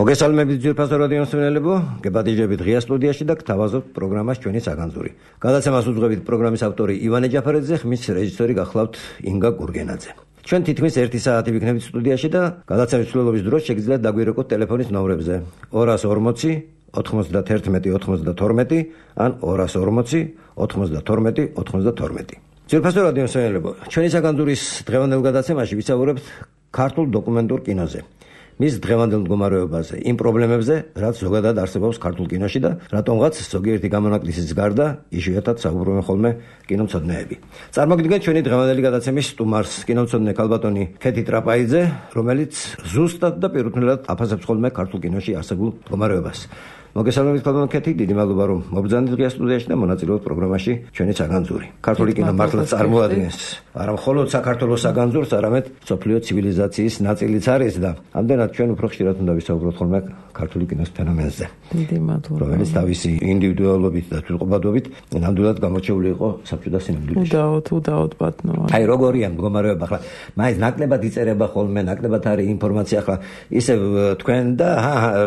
მოგესალმებით ძვირფასო რადიო მსმენელებო, გებადიჟებით ღია სტუდიაში და გთავაზობთ პროგრამას ჩვენი საგანძური. გადაცემას უძღვებით პროგრამის ავტორი ივანე ჯაფარაძე, ხმის რეჟისორი გახლავთ ინგა გურგენაძე. ჩვენ თითქმის 1 საათი ვიქნებით სტუდიაში და გადაცემის მსვლელობის დროს შეგიძლიათ დაგვირეკოთ ტელეფონის ნომრებზე 240 91 92 ან 240 92 92. ძვირფასო რადიო მსმენელებო, ჩვენი საგანძურის დღევანდელ გადაცემაში ვისაუბრებთ ქართულ დოკუმენტურ კინოზე. მის დღევანდელ მდგომარეობაზე, იმ პრობლემებზე, რაც ზოგადად არსებობს ქართულ კინოში და რატომღაც ზოგიერთი გამონაკლისის გარდა იშვიათად საუბრობენ ხოლმე კინომცოდნეები. წარმოგიდგენთ ჩვენი დღევანდელი გადაცემის სტუმარს, კინომცოდნე ქალბატონი ქეთი ტრაპაიძე, რომელიც ზუსტად და პირუთვნელად აფასებს ხოლმე ქართულ კინოში არსებულ მდგომარეობას. მოგესალმებით ქალბატონ ქეთი, დიდი მადლობა რომ მობრძანეთ ღია სტუდიაში და მონაწილეობთ პროგრამაში ჩვენი საგანძური. ქართული კინო მართლაც წარმოადგენს არა მხოლოდ საქართველოს საგანძურს, არამედ მსოფლიო ცივილიზაციის ნაწილიც არის და ამდენად ჩვენ უფრო ხშირად უნდა ვისაუბროთ ხოლმე ქართული კინოს ფენომენზე. დიდი მადლობა. რომელიც თავისი ინდივიდუალობით და თვითყოფადობით ნამდვილად გამოჩეული იყო საბჭოთა სინამდვილეში. უდაოდ ბატონო. აი როგორია მდგომარეობა ახლა, მაინც ნაკლებად იწერება ხოლმე, ნაკლებად არის ინფორმაცია ახლა, ისევ თქვენ და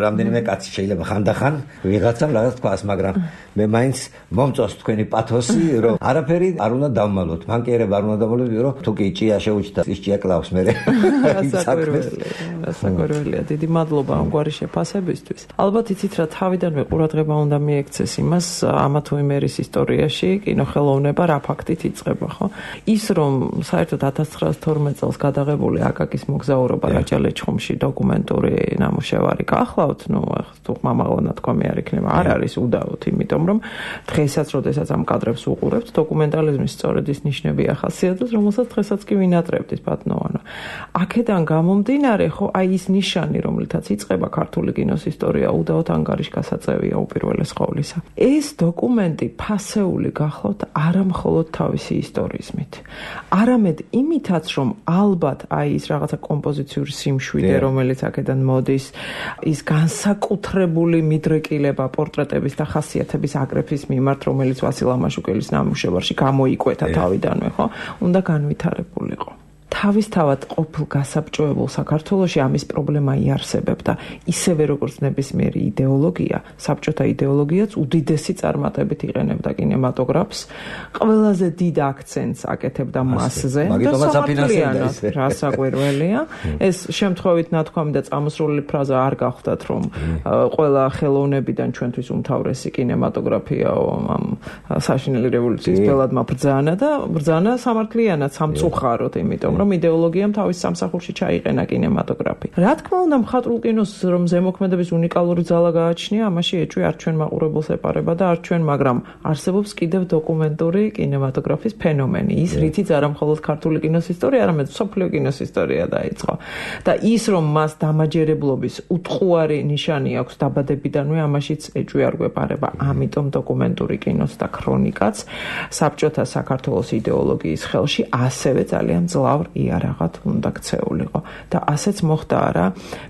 რამდენიმე კაცი შეიძლება ხანდახან ვიღაცამ რაღაც თქვას, მაგრამ მე მაინც მომწონს თქვენი პათოსი, რომ არაფერი არ უნდა დავმალოთ. მან კი არ უნდა დავმალოთ, რომ თუ კი ჭია შეუჩდა, ის ჭია კლავს მე. რასაკვირველია, დიდი მადლობა ამგვარი შეფასებისთვის. ალბათ იცით რა, თავიდანვე ყურადღება უნდა მიექცეს იმას, ამა თუ იმ ერის ისტორიაში კინოხელოვნება რა ფაქტით იწყება, ხო? ის რომ საერთოდ 1912 წელს გადაღებული აკაკის მოგზაურობა რაჭა-ლეჩხუმში დოკუმენტური ნამუშევარი გახლავთ, ნუ თუ მამალონა თქვამი არ იქნება, არ არის უდაოდ, იმიტომ რომ დღესაც, როდესაც ამ კადრებს უყურებთ, დოკუმენტალიზმის სწორედ ის ნიშნები ახასიათებს, რომელსაც დღესაც კი ვინატრებთ ბატონო. აქედან გამომდინარე, ხო, აი ის ნიშანი, რომლითაც იწყება ქართული კინოს ისტორია, უდაოდ ანგარიშგასაწევია უპირველეს ყოვლისა. ეს დოკუმენტი ფასეული გახლავთ არა მხოლოდ თავისი ისტორიზმით, არამედ იმითაც, რომ ალბათ აი ის რაღაცა კომპოზიციური სიმშვიდე, რომელიც აქედან მოდის, ის განსაკუთრებული მიდრეკილება პორტრეტების და ხასიათების აგრეფის მიმართ, რომელიც ვასილ ამაშუკელის ნამუშევარში გამოიკვეთა თავიდანვე, ხო, უნდა განვითარებულიყო. თავისთავად ყოფილ გასაბჭოებულ საქართველოში ამის პრობლემა იარსებებდა. ისევე როგორც ნებისმიერი იდეოლოგია, საბჭოთა იდეოლოგიაც უდიდესი წარმატებით იყენებდა კინემატოგრაფს, ყველაზე დიდ აქცენტს აკეთებდა მასზე და სამართლიანად, რასაკვირველია. ეს შემთხვევით ნათქვამი და წამოსროლილი ფრაზა არ გახდათ, რომ ყველა ხელოვნებიდან ჩვენთვის უმთავრესი კინემატოგრაფიაო ამ საშინელი რევოლუციის ბელადმა ბრძანა სამართლიანად, სამწუხაროდ, იმიტომ რომ იდეოლოგიამ თავის სამსახურში ჩაიყენა კინემატოგრაფი. რა თქმა უნდა, მხატვრულ კინოს რომ ზემოქმედების უნიკალური ძალა გააჩნია, ამაში ეჭვი არ ჩვენ მაყურებელს ეპარება და არ ჩვენ, მაგრამ არსებობს კიდევ დოკუმენტური კინემატოგრაფის ფენომენი. ის რითიც არა მხოლოდ ქართული კინოს ისტორია, არამედ მსოფლიო კინოს ისტორია დაიწყო. და ის რომ მას დამაჯერებლობის უტყუარი ნიშანი აქვს დაბადებიდანვე, ამაშიც ეჭვი არ გვეპარება. ამიტომ დოკუმენტური კინოს და ქრონიკაც საბჭოთა საქართველოს იდეოლოგიის ხელში ასევე ძალიან ძლავ იარაღად უნდა ქცეულიყო და ასეც მოხდა არა,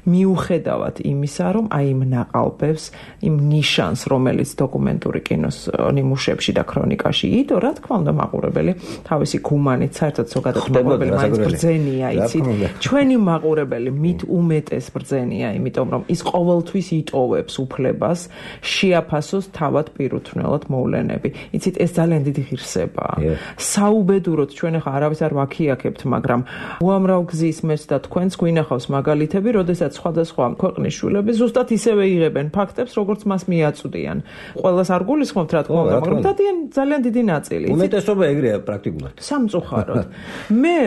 მიუხედავად იმისა, რომ აი იმ ნაყალბებს, იმ ნიშანს, რომელიც დოკუმენტური კინოს ნიმუშებში და ქრონიკაში იდო, რა თქმა უნდა, მაყურებელი თავისი გუმანით, საერთოდ ზოგადად მაყურებელი მაინც ბრძენია, იცით? ჩვენი მაყურებელი მით უმეტეს ბრძენია, იმიტომ რომ ის ყოველთვის იტოვებს უფლებას შეაფასოს თავად პირუთვნელად მოვლენები. იცით, ეს ძალიან დიდი ღირსებაა. საუბედუროდ ჩვენ ახლა არავის არ ვაქიაქებთ, მაგრამ უამრავ გზის მეც და თქვენს გვინახავს მაგალითები, როდესაც სხვადასხვა ქვეყნის შვილები ზუსტად ისევე იღებენ ფაქტებს, როგორც მას მიაწვდიან. ყველას არ გულისხმობთ, რა თქმა უნდა, მაგრამ დადიან ძალიან დიდი ნაწილი. უმეტესობა ეგრეა პრაქტიკულად. სამწუხაროდ. მე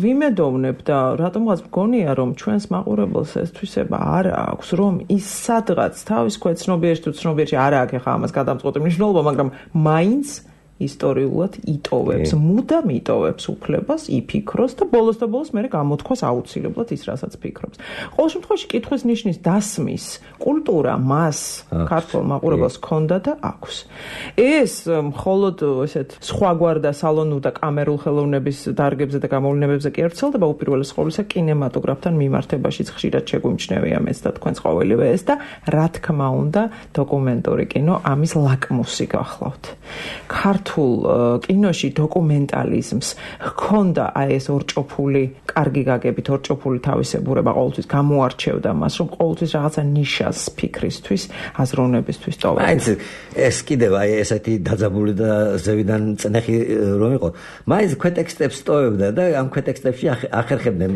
ვიმედოვნებ და რატომღაც მგონია, რომ ჩვენს მაყურებელს ეს თვისება არ აქვს, რომ ის სადღაც თავის ქვეცნობიერში თუ ცნობიერში არ აქვს ახლა ამას გადამწყვეტი მნიშვნელობა, მაგრამ მაინც ისტორიულად იტოვებს, მუდამ იტოვებს უფლებას იფიქროს და ბოლოს და ბოლოს მე გამოთქვას აუცილებლად ის, რასაც ფიქრობს. ყოველ შემთხვევაში კითხვის ნიშნის დასმის კულტურა მას ქართულ მაყურებელს ჰქონდა და აქვს. ეს მხოლოდ ესეთ სხვაგვარ და სალონურ და კამერულ ხელოვნების დარგებზე და გამოვლენებებზე კი არ ვრცელდება, უპირველეს ყოვლისა კინემატოგრაფთან მიმართებაშიც ხშირად შეგვიმჩნევია მეც და თქვენს ყოველივე ეს და რა თქმა უნდა დოკუმენტური კინო ამის ლაკმუსი გახლავთ. ქართულ ქართულ კინოში დოკუმენტალიზმს ჰქონდა ეს ორჭოფული, კარგი გაგებით ორჭოფული თავისებურება, ყოველთვის გამოარჩევდა მას, რომ ყოველთვის რაღაცა ნიშას ფიქრისთვის, აზროვნებისთვის ტოვებდა. მაინც ეს კიდევ ესეთი დაძაბული და ზევიდან წნეხი რომ იყო, მაინც ქვეტექსტებს ტოვებდა და ამ ქვეტექსტებში ახერხებდნენ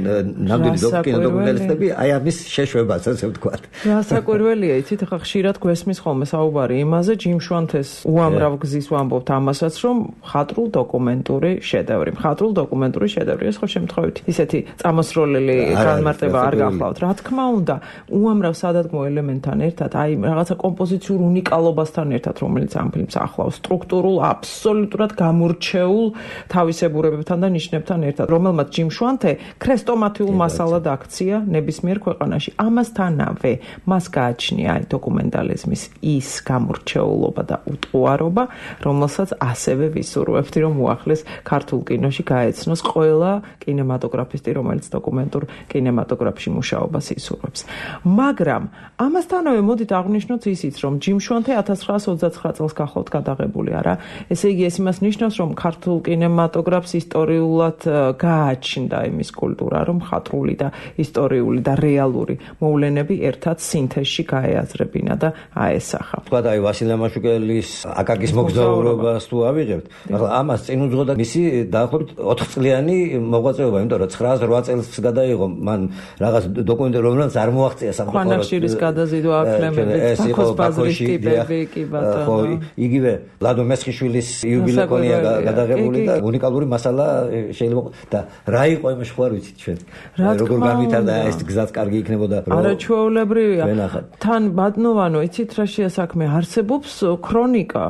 ნამდვილი დოკუმენტალისტები ამის შეშვებას, ასე ვთქვათ. რასაკვირველია, იცით, ხა ხშირად გვესმის ხოლმე საუბარი იმაზე, ჯიმ შვანთეს უამრავ გზის ვამბობთ ამასაც, რომ მხატვრულ დოკუმენტური შედევრი. ეს ხო შემთხვევით ისეთი წამოსროლილი განმარტება არ გახლავთ. რა თქმა უნდა, უამრავ სადადგმო ელემენტთან ერთად, რაღაცა კომპოზიციურ უნიკალობასთან ერთად, რომელიც ამ ფილმს ახლავს, სტრუქტურულ, აბსოლუტურად გამორჩეულ თავისებურებებთან და ნიშნებთან ერთად, რომელმაც ჯიმ შვანთე ქრესტომატიულ მასალად აქცია ნებისმიერ ქვეყანაში. ამასთანავე მას გააჩნია დოკუმენტალიზმის ის გამორჩეულობა და უტყუარობა, რომელსაც ასევე ვისურვებთ, რომ უახლეს ქართულ კინოში გაეცნოს ყველა კინემატოგრაფისტი, რომელიც დოკუმენტურ კინემატოგრაფში მუშაობას ისურვებს. მაგრამ ამასთანავე მოდით აღვნიშნოთ ისიც, რომ ჯიმ შვანთე 1929 წელს გახლავთ გადაღებული არა. ესე იგი ეს იმას ნიშნავს, რომ ქართულ კინემატოგრაფს ისტორიულად გააჩნდა იმის კულტურა, რომ მხატვრული და ისტორიული და რეალური მოვლენები ერთად სინთეზში გაეაზრებინა და აესახა. თქვათ ვასილე მაშუკელის აკაკის მოგზაურობას თუ ავიღებთ, ახლა ამას წინ უძღოდა მისი დაახლოებით 4 წლიანი მოღვაწეობა, იმიტომ რომ 9-8 წელს გადაიღო მან რაღაც დოკუმენტი, რომელიც არ მოაღწია სამხატვრო. ხანახშირის გადაზიდვა აფლემებით, ბაქოს ბაზრის ტიპები, კი ბატონო. ხო, იგივე ლადო მესხიშვილის იუბილეონია გადაღებული და უნიკალური მასალა შეიძლება და რა იყო იმაში ხო არ ვიცით ჩვენ. როგორ განვითარდა ეს გზაც კარგი იქნებოდა. არაჩვეულებრივია. თან ბატონოვანო, იცით რა შეასაქმე არსებობს ქრონიკა.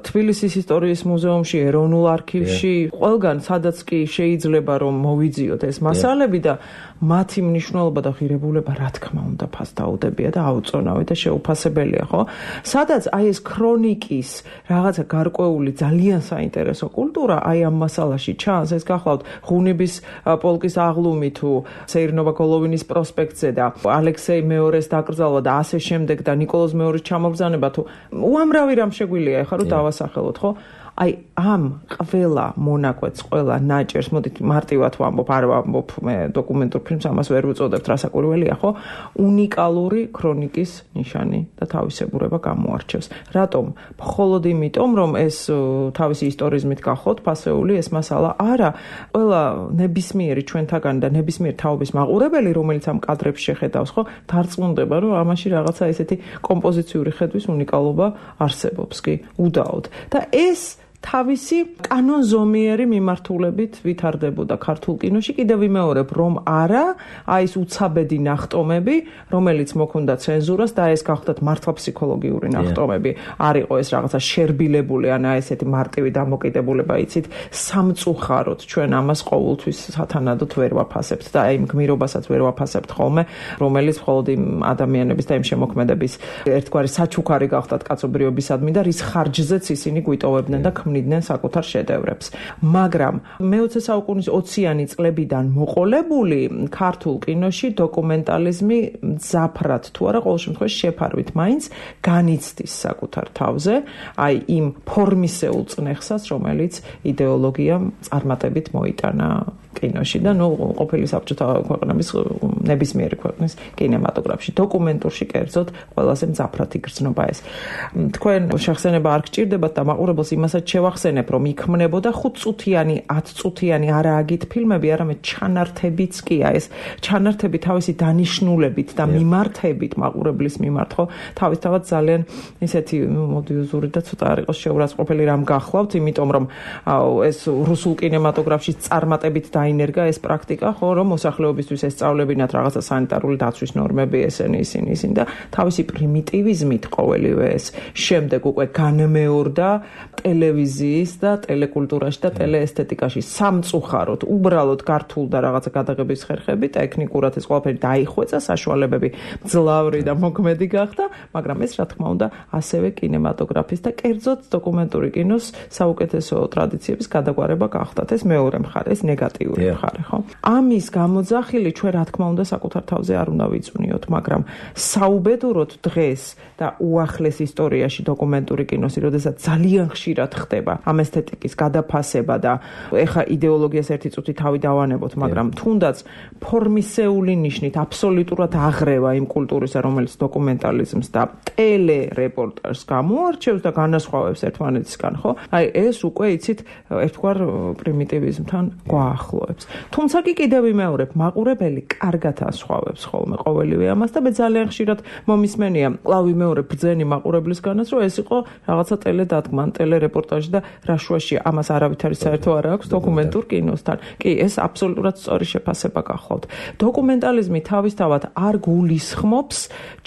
თბილისის ისტორიის მუზეუმში, ეროვნულ არქივში, ყველგან სადაც კი შეიძლება რომ მოვიძიოთ ეს მასალები და მათი მნიშვნელობა და ღირებულება რა თქმა უნდა ფასდაუდებია და აუწონავი და შეუფასებელია, ხო? სადაც ეს ქრონიკის რაღაცა გარკვეული ძალიან საინტერესო კულტურა ამ მასალაში ჩანს, ეს გახლავთ ღუნიბის პოლკის აღლუმი თუ სეირნობა გოლოვინის პროსპექტზე და ალექსეი მეორეს დაკრძალვა და ასე შემდეგ და ნიკოლოზ მეორის ჩამობრძანება თუ უამრავი რამ შეგვიძლია ახლა რომ დავასახელოთ, ხო? ამ ყველა მონაკვეთს, ყველა ნაჭერს, მოდით მარტივად ვამბობ, არ ვამბობ მე დოკუმენტურ ფილმს, ამას ვერ ვუწოდებთ, რასაკვირველია, ხო? უნიკალური ქრონიკის ნიშანი და თავისებურება გამოარჩევს. რატომ? მხოლოდ იმიტომ, რომ ეს თავისი ისტორიზმით გახოთ ფასეული ეს მასალა არა, ყველა ნებისმიერი ჩვენთაგანი და ნებისმიერ თაობის მაყურებელი, რომელიც ამ კადრებს შეხედავს, ხო, დარწმუნდება, რომ ამაში რაღაცა ესეთი კომპოზიციური ხედვის უნიკალობა არსებობს, კი, უდაოდ. და ეს თავისი კანონზომიერი მიმართულებით ვითარდებოდა ქართულ კინოში. კიდევ ვიმეორებ, რომ არა, ეს უცაბედი ნახტომები, რომელიც მოქონდა ცენზურას და ეს გახლავთ მართლა ფსიქოლოგიური ნახტომები. არ იყო ეს რაღაცა შერბილებული, ან ესეთი მარტივი დამოკიდებულება, იცით, სამწუხაროდ ჩვენ ამას ყოველთვის სათანადოდ ვერ ვაფასებთ და იმ გმირობასაც ვერ ვაფასებთ ხოლმე, რომელიც მხოლოდ იმ ადამიანების და იმ შემოქმედების ერთგვარი საჩუქარი გახლავთ კაცობრიობისადმი და რის ხარჯზეც ისინი გვიტოვებდნენ და ქმნიდნენ საკუთარ შედევრებს. მაგრამ მე-20 საუკუნის 20-იანი წლებიდან მოყოლებული ქართულ კინოში დოკუმენტალიზმი მძაფრად თუ არა ყოველ შემთხვევაში შეფარვით მაინც განიცდის საკუთარ თავზე, იმ ფორმისეულ წნეხსაც, რომელიც იდეოლოგიამ წარმატებით მოიტანა კინოში და ყოფილი საბჭოთა ქვეყნების ნებისმიერი ქვეყნის კინემატოგრაფში. დოკუმენტურში კერძოდ ყველაზე მძაფრად იგრძნობა ეს. თქვენ შეხსენება არ გჭირდებათ და მაყურებელს იმასაც შევახსენებ, რომ იქმნებოდა 5 წუთიანი, 10 წუთიანი არააგით ფილმები, არამედ ჩანართებიც კია. ეს ჩანართები თავისი დანიშნულებით და მიმართებით მაყურებლის მიმართ, ხო, თავისთავად ძალიან ისეთი მოდიოზური და ცოტა არ იყოს შეურაცხყოფელი რამ გახლავთ, იმიტომ რომ ეს რუსულ კინემატოგრაფში წარმატებით დაინერგა ეს პრაქტიკა, ხო, რომ მოსახლეობისთვის ესწავლებინათ რაღაცა სანიტარული დაცვის ნორმები, ისინი და თავისი პრიმიტივიზმით ყოველივე ეს შემდეგ უკვე განმეორდა ტელევიზიის და ტელეკულტურაში და ტელეესთეტიკაში. სამწუხაროდ, უბრალოდ გართულ და რაღაცა გადაღების ხერხები, ტექნიკურად ეს ყველაფერი დაიხვეწა, საშუალებები მძლავრი და მოქმედი გახდა, მაგრამ ეს რა თქმა უნდა ასევე კინემატოგრაფის და კერძოდ დოკუმენტური კინოს საუკეთესო ტრადიციების გადაგვარება გახდათ. ეს მეორე მხარე, ეს ნეგატიური მხარე, ხო? ამის გამოძახილი ჩვენ რა თქმა უნდა საკუთარ თავზე არ უნდა ვიწვნიოთ, მაგრამ საუბედუროდ დღეს და უახლეს ისტორიაში დოკუმენტური კინოსი, როდესაც ძალიან ხშირად ხდება ხდება ამ ესთეტიკის გადაფასება და ეხა იდეოლოგიას ერთი წუთი თავი დავანებოთ, მაგრამ თუნდაც ფორმისეული ნიშნით აბსოლუტურად აღრევა იმ კულტურისა, რომელიც დოკუმენტალიზმს და ტელერეპორტაჟს გამოარჩევს და განასხვავებს ერთმანეთისგან, ხო? აი ეს უკვე იცით ერთგვარ პრიმიტივიზმთან გვაახლოებს. თუმცა კი კიდევ ვიმეორებ, მაყურებელი კარგად ასხვავებს ხოლმე ყოველივე ამას და მე ძალიან ხშირად მომისმენია, კлау ვიმეორებ ბრძენი მაყურებლისგანაც, რომ ეს იყო რაღაცა ტელედადგმა, ტელერეპორტაჟი და რა შუაშია, ამას არავითარი საერთო არ აქვს დოკუმენტურ კინოსთან. კი, ეს აბსოლუტურად სწორი შეფასება გახლავთ. დოკუმენტალიზმი თავისთავად არ გულისხმობს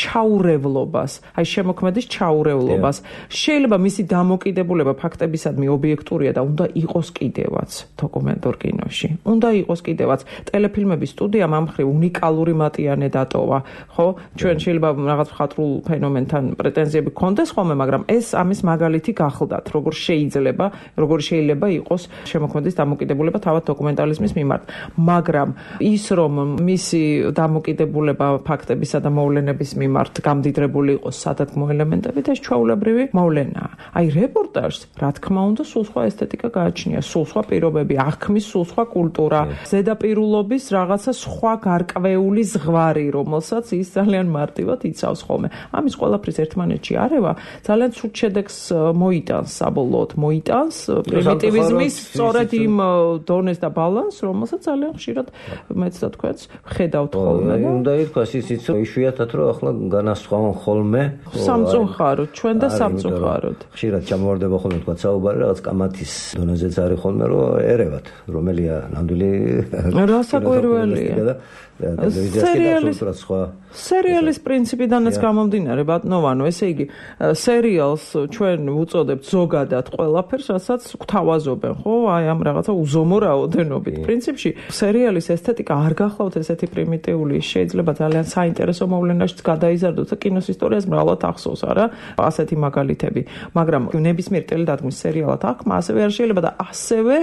ჩაურევლობას, აი შემოქმედის ჩაურევლობას. შეიძლება მისი დამოკიდებულება ფაქტებისადმი ობიექტურია და უნდა იყოს კიდევაც დოკუმენტურ კინოში. უნდა იყოს კიდევაც. ტელეფილმების სტუდიამ ამ მხრივ უნიკალური მატიანე დატოვა, ხო? ჩვენ შეიძლება რაღაც მხატვრულ ფენომენთან პრეტენზიები გქონდეს ხოლმე, მაგრამ ეს ამის მაგალითი გახლდათ, როგორ შეიძლება იყოს შემოქმედის დამოკიდებულება თავად დოკუმენტალიზმის მიმართ. მაგრამ ის რომ მისი დამოკიდებულება ფაქტებისა და მოვლენების მიმართ გამდიდრებული იყოს სადადგმო ელემენტებით, ეს ჩვეულებრივი მოვლენაა. აი რეპორტაჟს, რა თქმა უნდა, სულ სხვა ესთეტიკა გააჩნია, სულ სხვა პირობები, აღქმის სულ სხვა კულტურა, ზედაპირულობის რაღაცა სხვა გარკვეული ზღვარი, რომელსაც ის ძალიან მარტივად იცავს ხოლმე. ამის ყველაფრის ერთმანეთში არევა ძალიან ცუდ შედეგს მოიტანს, საბოლოოდ მოიტანს პრიმიტივიზმის სწორედ იმ დონეს და ბალანსს, რომელსაც ძალიან ხშირად მეც და თქვენც ხედავთ ხოლმე. უნდა ითქვას ისიც, რომ იშვიათად რომ ახლა განასხვავონ ხოლმე სამწუხაროდ, ჩვენ და სამწუხაროდ. ხშირად ჩამოვარდება ხოლმე თქვა საუბარი რაღაც კამათის დონეზეც არის ხოლმე, რომ ერევათ, რომელია ნამდვილი რასაკვირველია. სერიალის პრინციპიდანაც გამომდინარე, ბატონო, ესე იგი, სერიალს ჩვენ უწოდებთ ზოგადად ყველაფერს, რასაც გვთავაზობენ, ხო? აი ამ რაღაცა უზომო რაოდენობით. პრინციპში სერიალის ესთეტიკა არ გახლავთ ესეთი პრიმიტიული, შეიძლება ძალიან საინტერესო მოვლენაშიც გადაიზარდოთ და კინოს ისტორიას მრავლად ახსოვს, არა? ასეთი მაგალითები. მაგრამ ნებისმიერ ტელედადგმის სერიალად აღქმა ასევე არ შეიძლება და ასევე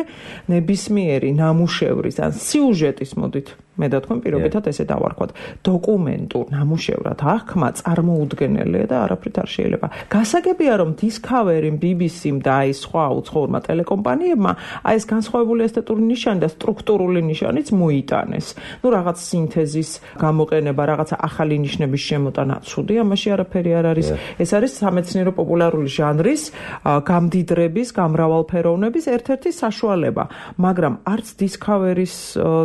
ნებისმიერი ნამუშევრის ან სიუჟეტის მოდით მე და თქვენ პირობითად ესე დავარქვათ, დოკუმენტურ ნამუშევრად აღქმა წარმოუდგენელია და არაფრით არ შეიძლება. გასაგებია, რომ Discovery-მ, BBC-მ და აი სხვა უცხოურმა ტელეკომპანიებმა აი ეს განსხვავებული ესთეტური ნიშანი და სტრუქტურული ნიშანიც მოიტანეს. რაღაც სინთეზის გამოყენება, რაღაცა ახალი ნიშნების შემოტანა, ცუდი, ამაში არაფერი არ არის. ეს არის სამეცნიერო პოპულარული ჟანრის გამდიდრების, გამრავალფეროვნების ერთ-ერთი საშუალება, მაგრამ არც Discovery-ის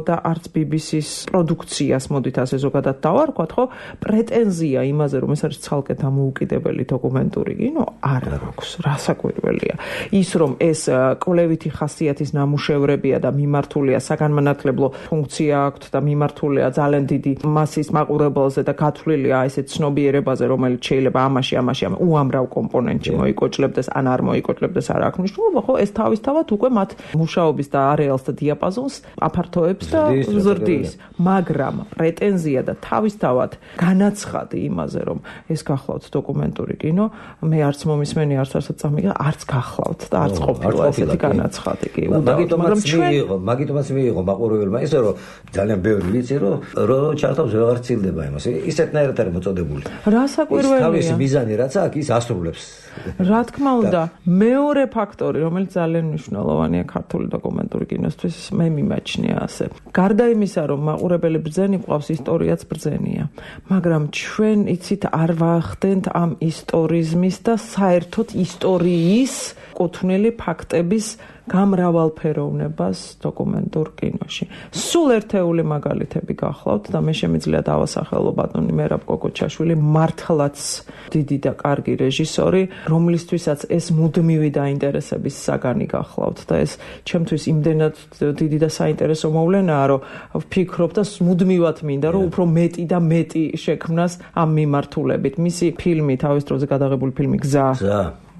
და არც BBC-ის პროდუქციას მოდით ასე ზოგადად დავარქვათ, ხო? პრეტენზია იმაზე, რომ ეს არის ცალკე დამოუკიდებელი დოკუმენტური კინო, არ აქვს. რასაკვირველია. ის რომ ეს კვლევითი ხასიათის ნამუშევრებია და მიმართულია საგანმანათლებლო ფუნქცია აქვთ და მიმართულია ძალიან დიდი მასის მაყურებელზე და გათვლილია ესე ცნობიერებაზე, რომელიც შეიძლება ამაში უამრავ კომპონენტში მოიკოჭლებდეს, ან არ მოიკოჭლებდეს, არ აქვს მნიშვნელობა, ხო? ეს თავისთავად უკვე მათ მუშაობის და არეალს და დიაპაზონს აფართოებს და ზრდის. მაგრამ პრეტენზია და თავისთავად განაცხადი იმაზე, რომ ეს გახლავთ დოკუმენტური კინო, მე არც მომისმენი, არც წამიგა, არც გახლავთ და არც ყოფილა ესეთი განაცხადი კი. მაგიტომაც მიიღო მაყურებელმა ისე, რომ ძალიან ბევრი ვიცი, რომ ჩართავს ვეღარ ცილდება იმას. ისეთნაირად არის მოწოდებული. რასაკვირველია. თავისი მიზანი რაც აქვს, ის ასრულებს. რა თქმა უნდა, მეორე ფაქტორი, რომელიც ძალიან მნიშვნელოვანია ქართული დოკუმენტური კინოსთვის, მე მიმაჩნია ასე. გარდა იმისა, რომ მაყურებელი ბრძენი ყავს, ისტორიაც ბრძენია. მაგრამ ჩვენ იცით არ ვახდენთ ამ ისტორიზმის და საერთოდ ისტორიის კუთვნილი ფაქტების გამრავალფეროვნებას დოკუმენტურ კინოში. სულ ერთეული მაგალითები გახლავთ და მე შემიძლია დავასახელო ბატონი მერაბ კოკოჩაშვილი, მართლაც დიდი და კარგი რეჟისორი, რომლისთვისაც ეს მუდმივი დაინტერესების საგანი გახლავთ და ეს ჩემთვის იმდენად დიდი და საინტერესო მოვლენაა, რომ ვფიქრობ და მუდმივად მინდა, რომ უფრო მეტი და მეტი შექმნას ამ მიმართულებით. მისი ფილმი, თავის დროზე გადაღებული ფილმი გზა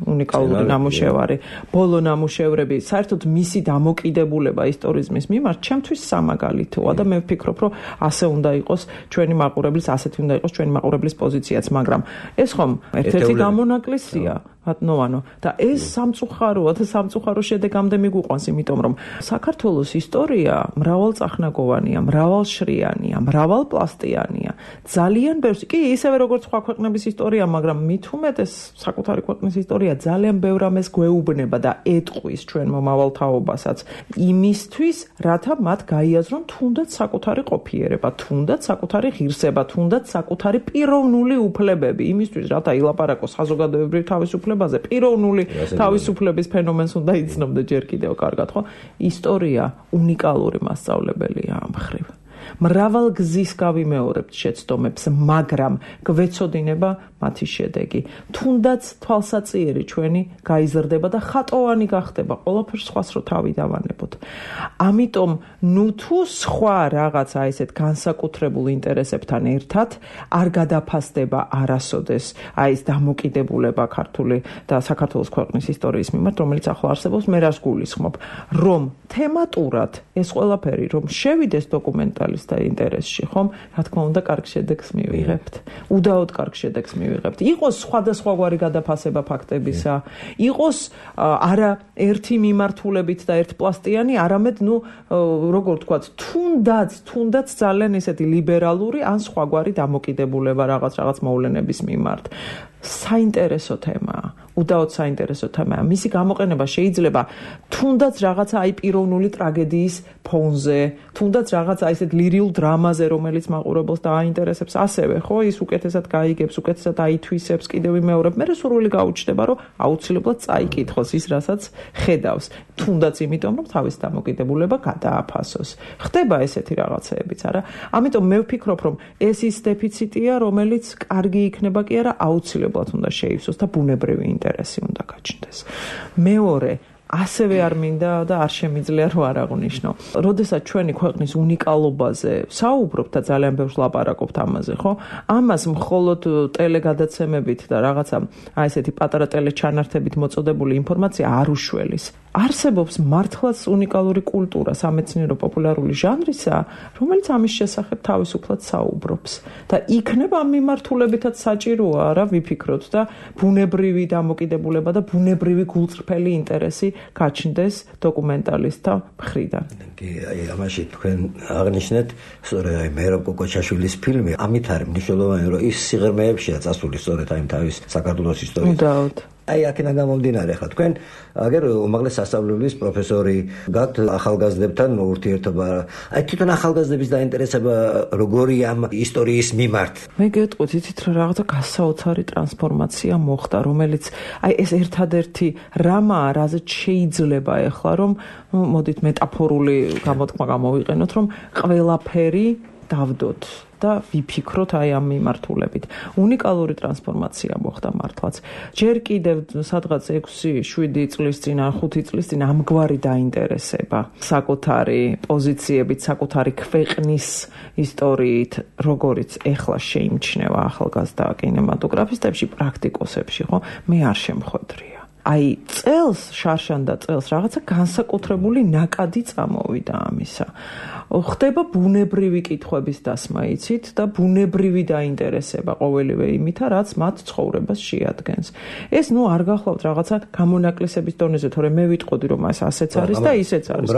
უნიკალური ნამუშევარი, ბოლო ნამუშევრები, საერთოდ მისი დამოკიდებულება ისტორიზმის მიმართ ჩემთვის სამაგალითოა და მე ვფიქრობ, რომ ასე უნდა იყოს ჩვენი მაყურებლის, ასეთი უნდა იყოს ჩვენი მაყურებლის პოზიციაც, მაგრამ ეს ხომ ერთ-ერთი გამონაკლისია, და ეს სამწუხაროა და სამწუხარო შედეგამდე მიგვიყვანს, იმიტომ რომ საქართველოს ისტორია მრავალწახნაგოვანია, მრავალშრიანია, მრავალპლასტიანია. ძალიან ბევრს, კი ისევე როგორც სხვა ქვეყნების ისტორია, მაგრამ მით უმეტეს საკუთარი ქვეყნის ისტორია ძალიან ბევრ ამას გვეუბნება და ეტყვის ჩვენ მომავალ თაობასაც იმისთვის, რათა მათ გაიაზრონ თუნდაც საკუთარი ყოფიერება, თუნდაც საკუთარი ღირსება, თუნდაც საკუთარი პიროვნული უფლებები, იმისთვის, რათა ილაპარაკოს საზოგადოებრივ თავისუფლებაზე, პიროვნული თავისუფლების ფენომენს უნდა იცნობდა ჯერ კიდევ კარგად, ხო? ისტორია უნიკალური მასწავლებელია ამ მხრივ. მრავალ გზის გავიმეორებთ შეცდომებს, მაგრამ გვეცოდინება მათი შედეგი. თუნდაც თვალსაწიერი ჩვენი გაიზრდება და ხატოვანი გახდება, ყველაფერს სხვას რო თავი დავანებოთ. ამიტომ თუ სხვა რაღაცა ესეთ განსაკუთრებულ ინტერესებთან ერთად არ გადაფასდება არასოდეს ეს დამოკიდებულება ქართული და საქართველოს ქვეყნის ისტორიის მიმართ, რომელიც ახლა არსებობს, მე რას გულისხმობ, რომ თემატურად ეს ყველაფერი რომ შევიდეს დოკუმენტალისტთა ინტერესში, ხომ? რა თქმა უნდა, კარგ შედეგს მივიღებთ. უდაოდ კარგ შედეგს მივიღებთ. იყოს სხვადასხვაგვარი გადაფასება ფაქტებისა, იყოს არა ერთი მიმართულებით და ერთპლასტიანი, არამედ როგორ ვთქვათ, თუნდაც ძალიან ესეთი ლიბერალური ან სხვაგვარი დამოკიდებულება რაღაც მოვლენების მიმართ. საინტერესო თემაა. უდაოდ საინტერესო თემაა. მისი გამოყენება შეიძლება თუნდაც რაღაცა პიროვნული ტრაგედიის ფონზე, თუნდაც რაღაცა ესეთ ლირიულ დრამაზე, რომელიც მაყურებელს დააინტერესებს, ასევე, ხო, ის უკეთესად გაიგებს, უკეთესად აითვისებს, კიდევ ვიმეორებ, მე სურვილი გაუჩნდება, რომ აუცილებლად წაიკითხოს ის, რასაც ხედავს. თუნდაც იმიტომ, რომ თავის დამოკიდებულება გადააფასოს. ხდება ესეთი რაღაცეებიც, არა? ამიტომ მე ვფიქრობ, რომ ეს ის დეფიციტია, რომელიც კარგი იქნება კი არა, აუცილებლად უნდა შეივსოს და ბუნებრივი ინტერესი უნდა გაჩნდეს. მეორე, ასევე არ მინდა და არ შემიძლია რომ არ აღვნიშნო. როდესაც ჩვენი ქვეყნის უნიკალობაზე საუბრობთ და ძალიან ბევრს ლაპარაკობთ ამაზე, ხო? ამას მხოლოდ ტელეგადაცემებით და რაღაცა ესეთი პატარა ტელეჩანართებით მოწოდებული ინფორმაცია არ უშველის. არსებობს მართლაც უნიკალური კულტურა, სამეცნიერო პოპულარული ჟანრისა, რომელიც ამის შესახებ თავისუფლად საუბრობს. და იქნება ამ მიმართულებითაც საჭიროა რა ვიფიქროთ და ბუნებრივი დამოკიდებულება და ბუნებრივი გულწრფელი ინტერესი გაჩნდეს დოკუმენტალისტთა მხრიდან. კი, ამაში თქვენ აღნიშნეთ, სწორედ მერაბ კოკოჩაშვილის ფილმი, ამით არის მნიშვნელოვანი, რომ ის სიღრმეებშია წასული სწორედ აი თავის საქართველოს ისტორიის. უდაოდ. აქედან გამომდინარე, ხა თქვენ აგერ უმაღლეს სასწავლებლის პროფესორი გაქვთ ახალგაზრდებთან ურთიერთობა. თვითონ ახალგაზრდების დაინტერესება როგორია ამ ისტორიის მიმართ? მე გეტყვით, იცით რა რაღაცა გასაოცარი ტრანსფორმაცია მოხდა, რომელიც ეს ერთადერთი რამაა, რაზეც შეიძლება ეხლა რომ მოდით მეტაფორული გამოთქმა გამოვიყენოთ, რომ ყველაფერი დავდოთ და ვიფიქროთ ამ მიმართულებით. უნიკალური ტრანსფორმაცია მოხდა მართლაც. ჯერ კიდევ სადღაც 6-7 წლის წინ, 5 წლის წინ ამგვარი დაინტერესება საკუთარი პოზიციებით, საკუთარი ქვეყნის ისტორიით, როგორიც ეხლა შეიმჩნევა ახალგაზრდა კინემატოგრაფისტებში, პრაქტიკოსებში, ხო? მე არ შემხვედრია. წელს, შარშანდა წელს რაღაცა განსაკუთრებული ნაკადი წამოვიდა ამისა. ხდება ბუნებრივი კითხვების დასმა, იცით, და ბუნებრივი დაინტერესება ყოველივე იმითა, რაც მათ ცხოვრებას შეადგენს. ეს არ გახლავთ რაღაცა გამონაკლისების დონეზე, თორემ მე ვიტყოდი, რომ ეს ასეც არის და ისეც არის.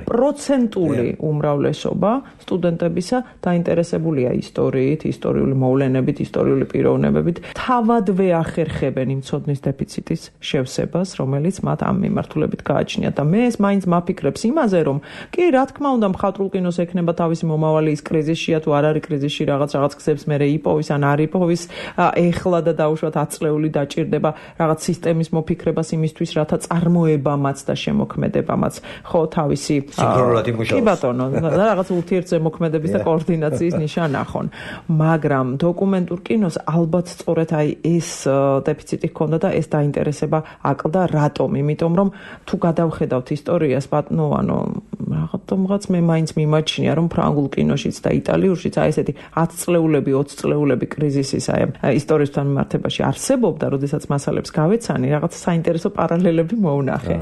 პროცენტული უმრავლესობა სტუდენტებისა დაინტერესებულია ისტორიით, ისტორიული მოვლენებით, ისტორიული პიროვნებებით, თავადვე ახერხებენ იმ ცოდნის დეფიციტის შევსებას, რომელიც მათ ამ მიმართულებით გააჩნიათ. და მე ეს მაინც მაფიქრებს იმაზე, რომ კი, რა თქმა უნდა, მხატვრულ კინოს ექნება თავისი მომავალი ის კრიზისშია, თუ არ არის კრიზისში რაღაც გზებს მერე იპოვის ან არ იპოვის, ეხლა და დაუშვათ 10 წლეული დაჭირდება რაღაც სისტემის მოფიქრებას იმისთვის, რათა წარმოებამაც და შემოქმედებამაც ხო თავისი სინქრონულად იმუშაოს. კი ბატონო, რაღაც ურთიერთზემოქმედების და კოორდინაციის ნიშა ნახონ. მაგრამ დოკუმენტურ კინოს ალბათ სწორედ ეს დეფიციტი ჰქონდა და ეს დაინტერესება აკლდა. რატომ? იმიტომ რომ თუ გადავხედავთ ისტორიას, რატომღაც მე მაინც მიმაჩნია, რომ ფრანგულ კინოშიც და იტალიურშიც აი ესეთი 10 წლეულები, 20 წლეულები კრიზისის აი ისტორიასთან მიმართებაში არსებობდა, როდესაც მასალებს გავეცანი, რაღაც საინტერესო პარალელები მოვნახე.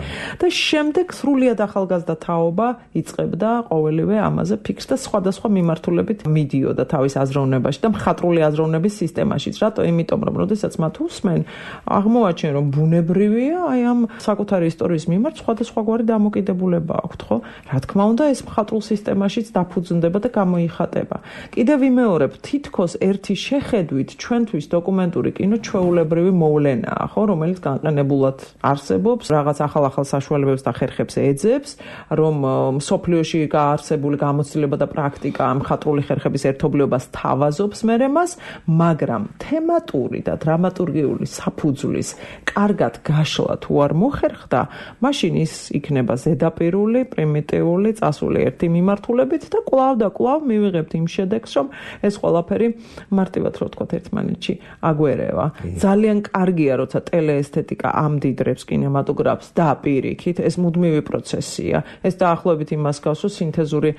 და შემდეგ სრულიად ახალგაზრდა თაობა იწყებდა ყოველივე ამაზე ფიქრს და სხვადასხვა მიმართულებით მიდიოდა თავის აზროვნებაში და მხატვრული აზროვნების სისტემაშიც. რატო? იმიტომ, რომ როდესაც მათ უსმენ, აღმოაჩენ, რომ ბუნებრივია აი ამ საკუთარი ისტორიის მიმართ სხვადასხვაგვარი დამოკიდებულება აქვთ, ხო? რა თქმა უნდა, ეს მხატვრულ სისტემაშიც დაფუძნდება და გამოიხატება. კიდევ ვიმეორებ, თითქოს ერთი შეხედვით ჩვენთვის დოკუმენტური კინო ჩვეულებრივი მოვლენაა, ხო, რომელიც განყენებულად არსებობს, რაღაც ახალ საშუალებებს და ხერხებს ეძებს, რომ მსოფლიოში გაარსებული გამოცდილება და პრაქტიკა მხატვრული ხერხების ერთობლიობას თავაზობს მერემას, მაგრამ თემატური და დრამატურგიული საფუძვლის კარგად გაშლა თუ არ მოხერხდა, მაშინ ის იქნება ზედაპირული, პრიმიტიული, წასული ერთი მიმართულებით და კვლავ მივიღებთ იმ შედეგს, რომ ეს ყველაფერი მარტივად რო ვთქვათ ერთმანეთში აგვერევა. ძალიან კარგია, როცა ტელეესთეტიკა ამდიდრებს კინემატოგრაფს და პირიქით, ეს მუდმივი პროცესია. ეს დაახლოებით იმას გავს, რომ სინთეზური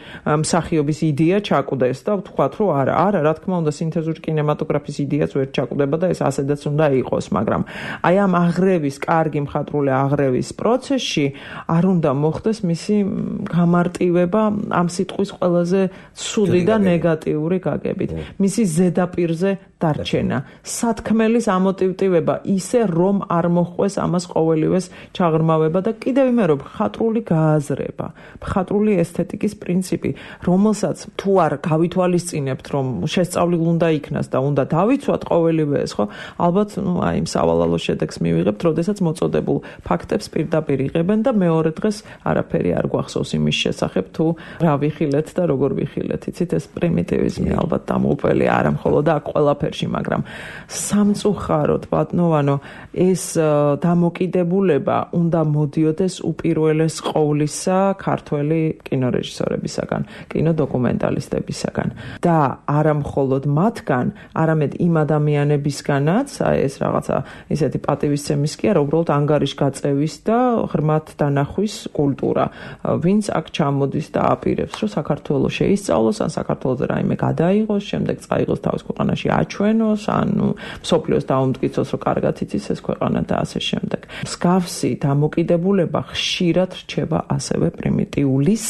მსახიობის იდეა ჩაკვდეს და ვთქვათ, რომ არა, რა თქმა უნდა, სინთეზური კინემატოგრაფის იდეაც ვერ ჩაკვდება და ეს ასედაც უნდა იყოს, მაგრამ აი ამ აღრევის, კარგი მხატვრული აღრევის პროცესში არ უნდა მოხდეს მისი გამარტივება ამ სიტყვის ყველაზე ცუდი და ნეგატიური გაგებით. მისი ზედაპირზე დარჩენა, სათქმელის ამოტივტივება ისე, რომ არ მოხდეს ამას ყოველივეს ჩაღრმავება და კიდევ ვიმეორებ, მხატვრული გააზრება, მხატვრული ესთეტიკის პრინციპი, რომელსაც თუ არ გავითვალისწინებთ, რომ შესწავლილ უნდა იქნას და უნდა დავიცვათ ყოველივე ეს, ხო? ალბათ, აი იმ სავალალო შედეგს მივიღებთ, როდესაც მოწოდებულ ფაქტებს პირდაპირ იღებენ და მეორე დღეს არაფერი არ გვახსოვს იმის შესახებ, თუ რა ვიხილეთ და როგორ ვიხილეთ. იცით, ეს პრიმიტივიზმი ალბათ დამოუკველი არა მხოლოდ აქ ყველაფერში, მაგრამ სამწუხაროდ, ბატონო, ეს დამოკიდებულება უნდა მოდიოდეს უპირველეს ყოვლისა ქართველი კინორეჟისორებისაგან, კინოდოკუმენტალისტებისაგან და არა მხოლოდ მათგან, არამედ იმ ადამიანებისგანაც, აი ეს რაღაცა ისეთი პატივისცემის კი არა, უბრალოდ ანგარიშგაწევის და ღრმად დანახვის კულტურა, ვინც აქ ჩამოდის და აპირებს, რომ საქართველოს შეისწავლოს, ან საქართველოზე რაიმე გადაიღოს, შემდეგ წაიღოს თავის ქვეყანაში აჩვენოს, ან მსოფლიოს დაუმტკიცოს, რომ კარგად იცის ეს ქვეყანა და ასე შემდეგ. მსგავსი დამოკიდებულება ხშირად რჩება ასევე პრიმიტიულის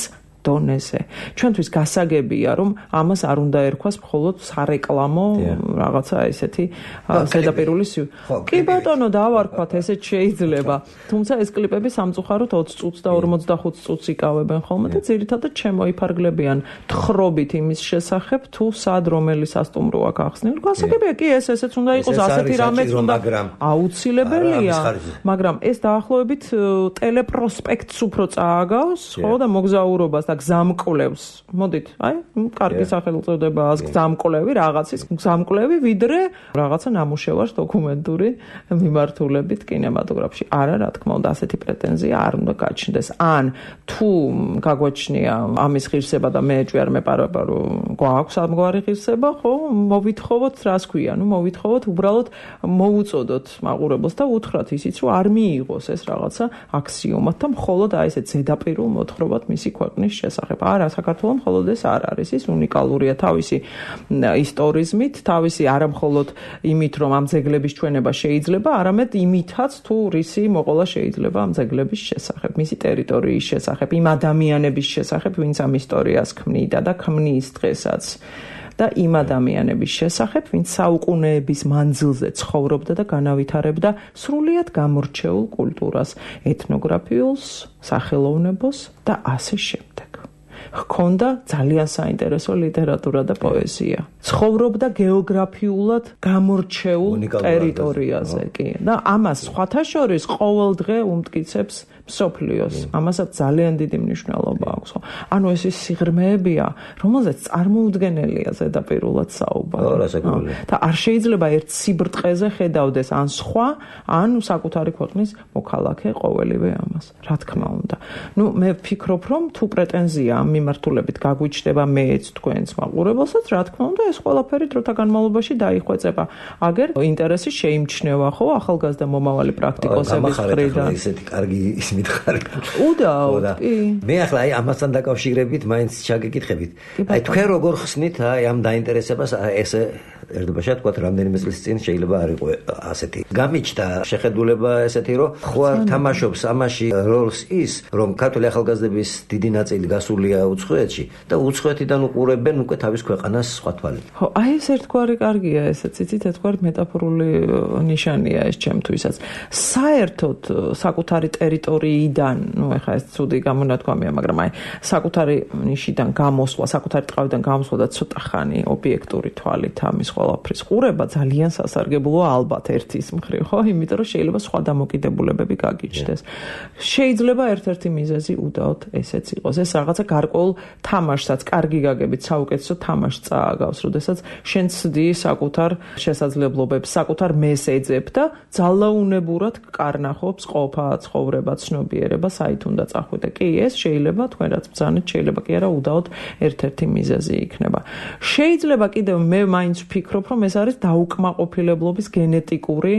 დონეზე. ჩვენთვის გასაგებია, რომ ამას არ უნდა ერქვას მხოლოდ სარეკლამო რაღაცა ესეთი ზედაპირული კი ბატონო, დავარქვათ, ესეც შეიძლება. თუმცა ეს კლიპები სამწუხაროდ 20 წუთს და 45 წუთს იკავებენ ხოლმე და ძირითადად შემოიფარგლებიან თხრობით იმის შესახებ, თუ სად რომელი სასტუმროა გახსნილი. გასაგებია კი ესეც უნდა იყოს, ასეთი რამეც უნდა აუცილებელია, მაგრამ ეს დაახლოებით ტელეპროსპექტს უფრო წააგავს, ხო და მოგზაურობას და გზამკვლევს. მოდით, აი, კარგი სახელწოდება აქვს გზამკვლევი, რაღაცის გზამკვლევი, ვიდრე რაღაცა ნამუშევარს დოკუმენტური მიმართულებით კინემატოგრაფში. არა, რა თქმა უნდა, ასეთი პრეტენზია არ უნდა გაჩნდეს. ან თუ გაგვაჩნია ამის ღირსება და მე ჭვიარ მეპარებარო გვაქვს ამგვარი ღირსება, ხო, მოვითხოვოთ, რას ქვია, მოვითხოვოთ უბრალოდ მოუწოდოთ მაყურებელს და უთხრათ ისიც, რომ არ მიიღოს ეს რაღაცა აქსიომად და მხოლოდ აი ესეთ ზედაპირულ მოთხრობად მისი ქვეყნის შესახებ. არა, საქართველოს მხოლოდ ეს არ არის, ის უნიკალურია თავისი ისტორიზმით, თავისი არა მხოლოდ იმით, რომ ამ ძეგლების ჩვენება შეიძლება, არამედ იმითაც, თუ რისი მოყოლა შეიძლება ამ ძეგლების შესახებ, მისი ტერიტორიის შესახებ, იმ ადამიანების შესახებ, ვინც ამ ისტორიას ქმნიდა და ქმნის დღესაც. და იმ ადამიანების შესახებ, ვინც საუკუნეების მანძილზე ცხოვრობდა და განავითარებდა სრულიად გამორჩეულ კულტურას, ეთნოგრაფიულს, სახელოვნებოს და ასე შემდეგ. ჰქონდა ძალიან საინტერესო ლიტერატურა და პოეზია. ცხოვრობდა გეოგრაფიულად გამორჩეულ ტერიტორიაზე, კი. და ამას სხვათა შორის ყოველ დღე უმტკიცებს მსოფლიოს. ამასაც ძალიან დიდი მნიშვნელობა აქვს. ანუ ეს ის სიღრმეებია, რომელზეც წარმოუდგენელია ზედაპირულად საუბარი. და არ შეიძლება ერთ სიბრტყეზე ხედავდეს ან სხვა, ან საკუთარი ქვეყნის მოქალაქე ყოველივე ამას. რა თქმა უნდა. მე ვფიქრობ, რომ თუ პრეტენზია ამ მიმართულებით გაგვიჩნდება მეც თქვენს მაყურებელსაც, რა თქმა უნდა, ეს ყველაფერი დროთა განმავლობაში დაიხვეწება. აგერ ინტერესი შეიმჩნევა, ხო, ახალგაზრდა მომავალი პრაქტიკოსების მხრიდან. ესეთი კარგი მითხარი. უდაოდ, კი. მე ახლა აი ამასთან დაკავშირებით მაინც ჩაგეკითხებით. აი თქვენ როგორ ხსნით აი ამ დაინტერესებას ესე ერთობაშა თქვა რამდენიმე წლის წინ შეიძლება არ იყო ასეთი. გამიჩნდა შეხედულება ესეთი რომ ხო არ თამაშობს ამაში როლს ის რომ ქართული ახალგაზრდების დიდი ნაწილი გასულია უცხოეთში და უცხოეთიდან უყურებენ უკვე თავის ქვეყანას სხვა თვალით. ხო, აი ეს ერთგვარი კარგია ესეც, იცით, ერთგვარი მეტაფორული ნიშანია ეს ჩემთვისაც. საერთოდ საკუთარი ტერიტორიიდან, ეხლა ეს ცუდი გამონათქვამია, მაგრამ აი საკუთარი ნიშიდან გამოსვლა, საკუთარი ტყავიდან გამოსვლა და ცოტა ხანი ობიექტური თვალით ამის ყველაფრის ყურება ძალიან სასარგებლოა ალბათ ერთის მხრივ, ხო? იმიტომ რომ შეიძლება სხვა დამოკიდებულებები გაგიჩნდეს. შეიძლება ერთ-ერთი მიზეზი უდაოდ ესეც იყოს. ეს რაღაცა გარკვეულ თამაშსაც, კარგი გაგებით, საუკეთესო თამაშს წააგავს, როდესაც შენ ცდი საკუთარ შესაძლებლობებს, საკუთარ მესეძებს და ძალაუნებურად კარნახობს ყოფა, ცხოვრება, ცნობიერება, საით უნდა წახვიდე. კი, ეს შეიძლება თქვენ რაც ბრძანეთ, შეიძლება კი არა უდაოდ ერთ-ერთი მიზეზი იქნება. შეიძლება კიდევ მე მაინც ვფიქრობ, რომ ეს არის დაუკმაყოფილებლობის გენეტიკური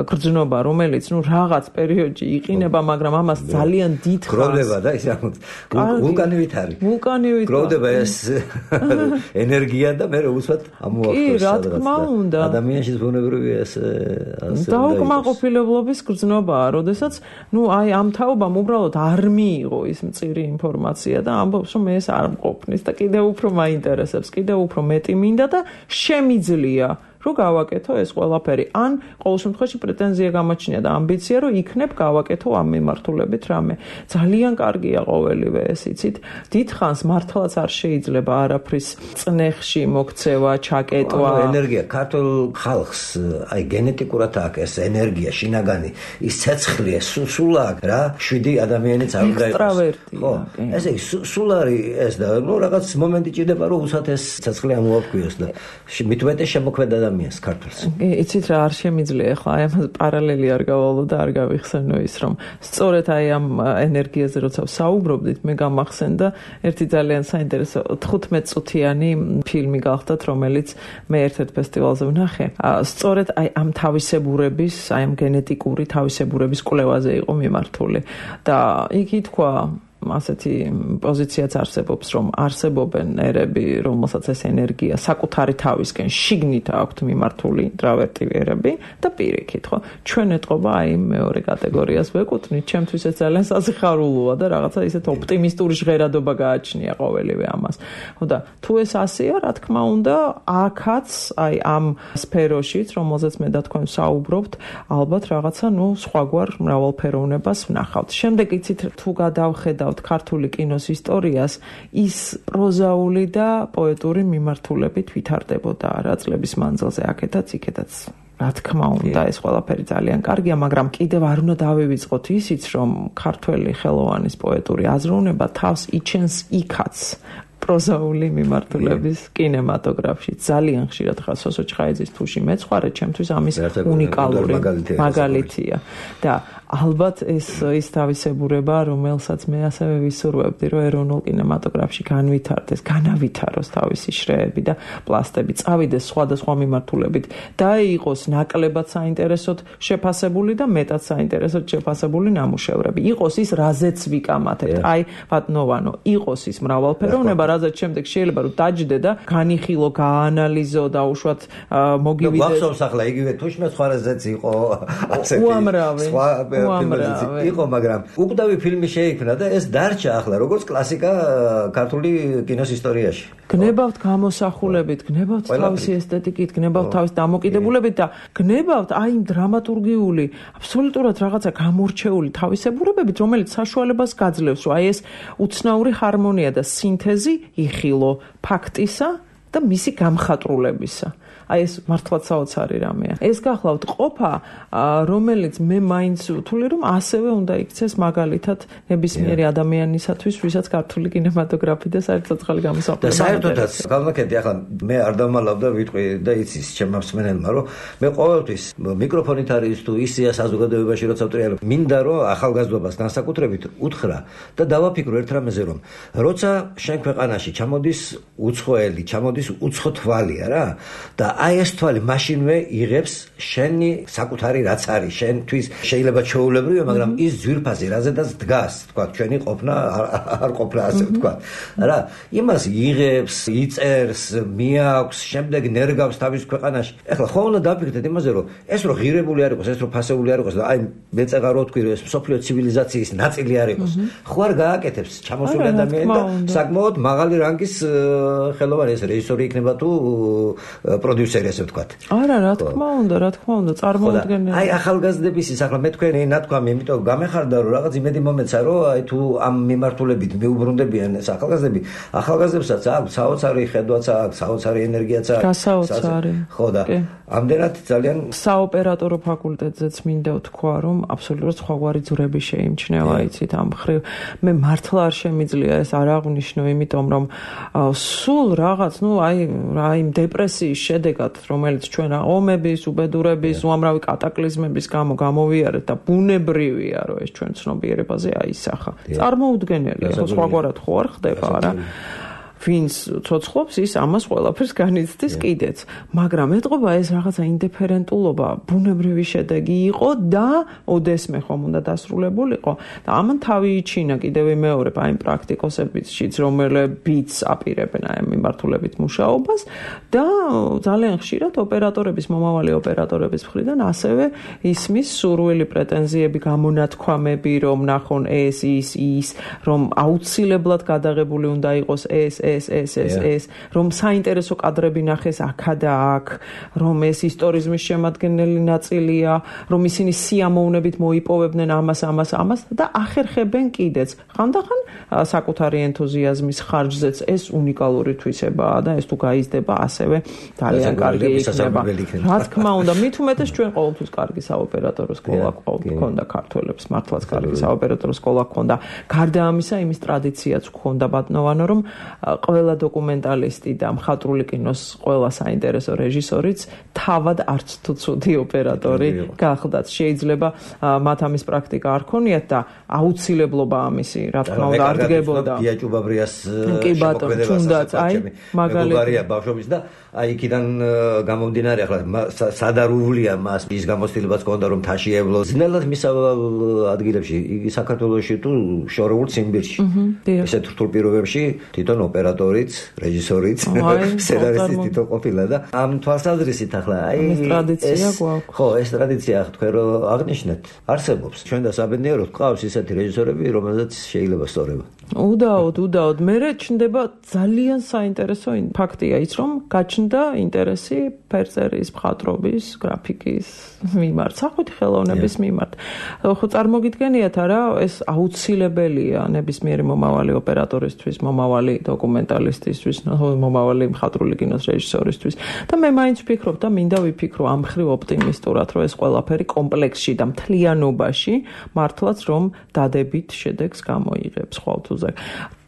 გრძნობა, რომელიც რაღაც პერიოდში იყინება, მაგრამ ამას ძალიან დიდ ხანს გროვდება და ის ვულკანივით არის. ვულკანივით გროვდება ეს ენერგია და მე უცბად ამოახდენს. კი, რა თქმა უნდა. ადამიანში ზღუნებრივია ეს დაუკმაყოფილებლობის გრძნობაა, როდესაც აი ამ თაობამ უბრალოდ არ მიიღო ის მწირი ინფორმაცია და ამბობს, რომ ეს არ მყოფნის და კიდევ უფრო მაინტერესებს, კიდევ უფრო მეტი მინდა და შემიძლია რომ გავაკეთო ეს ყველაფერი. ან ყოველ შემთხვევაში პრეტენზია გამოჩნია და ამბიცია, რომ იქნებ გავაკეთო ამ მიმართულებით რამე. ძალიან კარგია ყოველივე ეს, იცით. დიდ ხანს მართლაც არ შეიძლება არაფრის წნეხში მოქცევა, ჩაკეტვა. ენერგია ქართულ ხალხს აი გენეტიკურად აქვს ეს ენერგია, შინაგანი, ის ცეცხლი, სულ აქვს რა, 7 ადამიანიც არ უნდა იყოს. ხო, ესე იგი სულ არის ეს და რაღაც მომენტი ჭირდება, რომ უცად ეს ცეცხლი ამოაქვიოს და მithumetes შემოქმედა ქართულს. იცით რა არ შემიძლია ახლა აი ამას პარალელი არ გავალო და არ გავიხსენო ის რომ სწორედ აი ამ ენერგიაზე როცა საუბრობდით მე გამახსენდა ერთი ძალიან საინტერესო 15 წუთიანი ფილმი გახდათ რომელიც მე ერთ-ერთ ფესტივალზე ვნახე. სწორედ აი ამ თავისებურების, აი ამ გენეტიკური თავისებურების კვლევაზე იყო მიმართული და იქ ითქვა ასეთი პოზიციაც არსებობს, რომ არსებობენ ერები, რომელსაც ეს ენერგია საკუთარი თავისკენ შიგნით აქვთ მიმართული ინტრავერტი ერები და პირიქით, ხო? ჩვენ ეთყობა აი მეორე კატეგორიას ვეკუთვნით, ჩემთვის ეს ძალიან სასიხარულოა და რაღაცა ისეთ ოპტიმისტური ჟღერადობა გააჩნია ყოველივე ამას. ხო და თუ ეს ასეა, რა თქმა უნდა, აქაც აი ამ სფეროშიც, რომელზეც მე და თქვენ საუბრობთ, ალბათ რაღაცა, სხვაგვარ მრავალფეროვნებას ვნახავთ. შემდეგ იცით, თუ გადავხედავ ქართული კინოს ისტორიას ის პროზაული და პოეტური მიმართულებით ვითარდებოდა რა წლების მანძილზე აქეთაც იქეთაც რა თქმა უნდა ეს ყველაფერი ძალიან კარგია მაგრამ კიდევ არ უნდა დავივიწყოთ ისიც რომ ქართველი ხელოვანის პოეტური აზროვნება თავს იჩენს იქაც პროზაული მიმართულების კინემატოგრაფში ძალიან ხშირად ხარ სოსო ჩხაიძის თუში მეცხვარე ჩემთვის ამის უნიკალური მაგალითია და ალბათ ეს თავისებურება რომელსაც მე ასევე ვისურვებდი რომ ეროვნულ კინემატოგრაფში განვითარდეს განავითაროს თავისი შრეები და პლასტები წავიდეს სხვადასხვა მიმართულებით და იყოს ნაკლებად საინტერესოდ შეფასებული და მეტად საინტერესოდ შეფასებული ნამუშევრები იყოს ის რაზეც ვიკამათებთ აი ბატონოვანო იყოს ის მრავალფეროვნება რაზეც შემდეგ შეიძლება რომ დაჯდე და განიხილო გაანალიზო და უშუალოდ მოგივიდეს გვახსოვს ახლა იგივე თუშმე სხვა რაზეც იყო ასეთი სხვა იყო, მაგრამ უკვდავი ფილმი შეიქმნა და ეს დარჩა ახლა როგორც კლასიკა ქართული კინოს ისტორიაში. გნებავთ გამოსახულებით, გნებავთ თავისი ესთეტიკით, გნებავთ თავის დამოკიდებულებით და გნებავთ აი იმ დრამატურგიული, აბსოლუტურად რაღაცა გამორჩეული თავისებურებებით, რომელიც საშუალებას გაძლევს, რომ აი ეს უცნაური ჰარმონია და სინთეზი იხილო ფაქტისა და მისი გამხატრულებისა. აი ეს მართლაც საოცარი რამეა. ეს გახლავთ ყოფა, რომელიც მე მაინც ვთვლი, რომ ასევე უნდა იქცეს მაგალითად ნებისმიერი ადამიანისათვის, ვისაც ქართული კინემატოგრაფი და საერთოდ გამოსახულება. და საერთოდაც გავაკეთე ახლა მე არ დამალავ და ვიტყვი და იცის ჩემმა მსმენელმა, რომ მე ყოველთვის მიკროფონით არის თუ ისია საზოგადოებაში როცა ვტრიალებ, მინდა რომ ახალგაზრდობას განსაკუთრებით უთხრა და დავაფიქრო ერთ რამეზე, რომ როცა შენ ქვეყანაში ჩამოდის უცხოელი, ჩამოდის უცხო თვალია რა და და აი ეს თვალი მაშინვე იღებს შენი საკუთარი რაც არის შენთვის შეიძლება ჩვეულებრივია მაგრამ ის ძვირფასი რაზედაც დგას თქვა ჩვენი ყოფნა არ ყოფნა ასე თქვა რა იმას იღებს იწერს მიაქვს შემდეგ ნერგავს თავის ქვეყანაში ეხლა ხო უნდა დაფიქრდეთ იმაზე რომ ეს რო ღირებული არ იყოს ეს რო ფასეული არ იყოს და აი მეწეღა რო თქვი რომ ეს მსოფლიო ცივილიზაციის ნაწილი არ იყოს ხო არ გააკეთებს ჩამოსული ადამიანი და საკმაოდ მაღალი რანგის ხელოვანი ეს რეჟისორი იქნება თუ პროდიუსერი ასე ვთქვათ. არა, რა თქმა უნდა, წარმოუდგენელი. აი ახალგაზრდების ის ახლა მე თქვენი ნათქვამი, იმიტომ გამეხარდა რომ რაღაც იმედი მომეცა რომ აი თუ ამ მიმართულებით მიუბრუნდებიან ეს ახალგაზრდებსაც აქვს საოცარი ხედვაც აქვს, საოცარი ენერგიაც აქვს. გასაოცარი. ხო და ამდენად ძალიან საოპერატორო ფაკულტეტზეც მინდა ვთქვა რომ აბსოლუტურად სხვაგვარი ძვრები შეიმჩნევა იცით ამ ხრივ მე მართლა არ შემიძლია ეს არ აღვნიშნო იმიტომ რომ სულ რაღაც აი დეპრესიის შედეგად რომელიც ჩვენ ომების, უბედურების, უამრავი კატაკლიზმების გამო გამოვიარეთ და ბუნებრივია რომ ეს ჩვენ ცნობიერებაზე აისახა. წარმოუდგენელია, ხო სხვაგვარად ხო არ ხდება არა? ვინც ცოცხლობს ის ამას ყველაფერს განიცდის კიდეც, მაგრამ ეთყობა ეს რაღაცა ინდიფერენტულობა ბუნებრივი შედეგი იყო და ოდესმე ხომ უნდა დასრულებულიყო და ამან თავი იჩინა კიდევ მეორე აი პრაქტიკოსებიც რომლებიც აპირებენ აი მიმართულებით მუშაობას და ძალიან ხშირად ოპერატორების მომავალი ოპერატორების მხრიდან ასევე ისმის სურვილი პრეტენზიები გამონათქვამები რომ ნახონ ეს რომ აუცილებლად გადაღებული უნდა იყოს ეს რომ საინტერესო კადრები ნახეს აქა და აქ, რომ ეს ისტორიზმის შემადგენელი ნაწილია, რომ ისინი სიამოვნებით მოიპოვებდნენ ამას და ახერხებენ კიდეც. ხანდახან საკუთარი ენთუზიაზმის ხარჯზეც ეს უნიკალური თვისებაა და ეს თუ გაიზრდება ასევე ძალიან კარგი იქნება. რა თქმა უნდა, მით უმეტეს ჩვენ ყოველთვის კარგი საოპერატორო სკოლა გვქონდა ქართველებს, მართლაც კარგი საოპერატორო სკოლა გვქონდა. გარდა ამისა, იმის ტრადიციაც გვქონდა ბატონოვანო, რომ ყველა დოკუმენტალისტი და მხატვრული კინოს ყველა საინტერესო რეჟისორიც თავად არც თუ ცუდი ოპერატორი გახდათ. შეიძლება მათ ამის პრაქტიკა არ ქონიათ და აუცილებლობა ამისი, რა თქმა უნდა, არ დგებოდა. დიაჭუბაბრიას შემოქმედებას თუნდაც აი მაგალითად ბავშვობის და აი იქიდან გამომდინარე ახლა სადარულია მას ის გამოცდილებაც ქონდა რომ თაშიებლო ძნელად მისავალ ადგილებში იგი საქართველოში თუ შორეულ ციმბირში ესეთ რთულ პირობებში თვითონ ოპერატორიც რეჟისორიც სცენარისტიც თვითონ ყოფილა და ამ თვალსაზრისით ახლა აი ეს ტრადიცია გვაქვს ხო ეს ტრადიცია თქვენ რომ აღნიშნეთ არსებობს ჩვენ და საბედნიეროდ გვყავს ისეთი რეჟისორები რომელზეც შეიძლება სწორება უდაოდ მე ჩნდება ძალიან საინტერესო ფაქტია ის რომ გაჩნდა ინტერესი ფერწერის, მხატვრობის, გრაფიკის მიმართ, სახვითი ხელოვნების მიმართ. ხო წარმოგიდგენიათ არა, ეს აუცილებელია ნებისმიერი მომავალი ოპერატორისთვის, მომავალი დოკუმენტალისტისთვის, მომავალი მხატვრული კინოს რეჟისორისთვის. და მე მაინც ვფიქრობ და მინდა ვიფიქრო ამ ხრივ ოპტიმისტურად, რომ ეს ყველაფერი კომპლექსში და მთლიანობაში მართლაც რომ დადებით შედეგს გამოიღებს ხვალთუზე.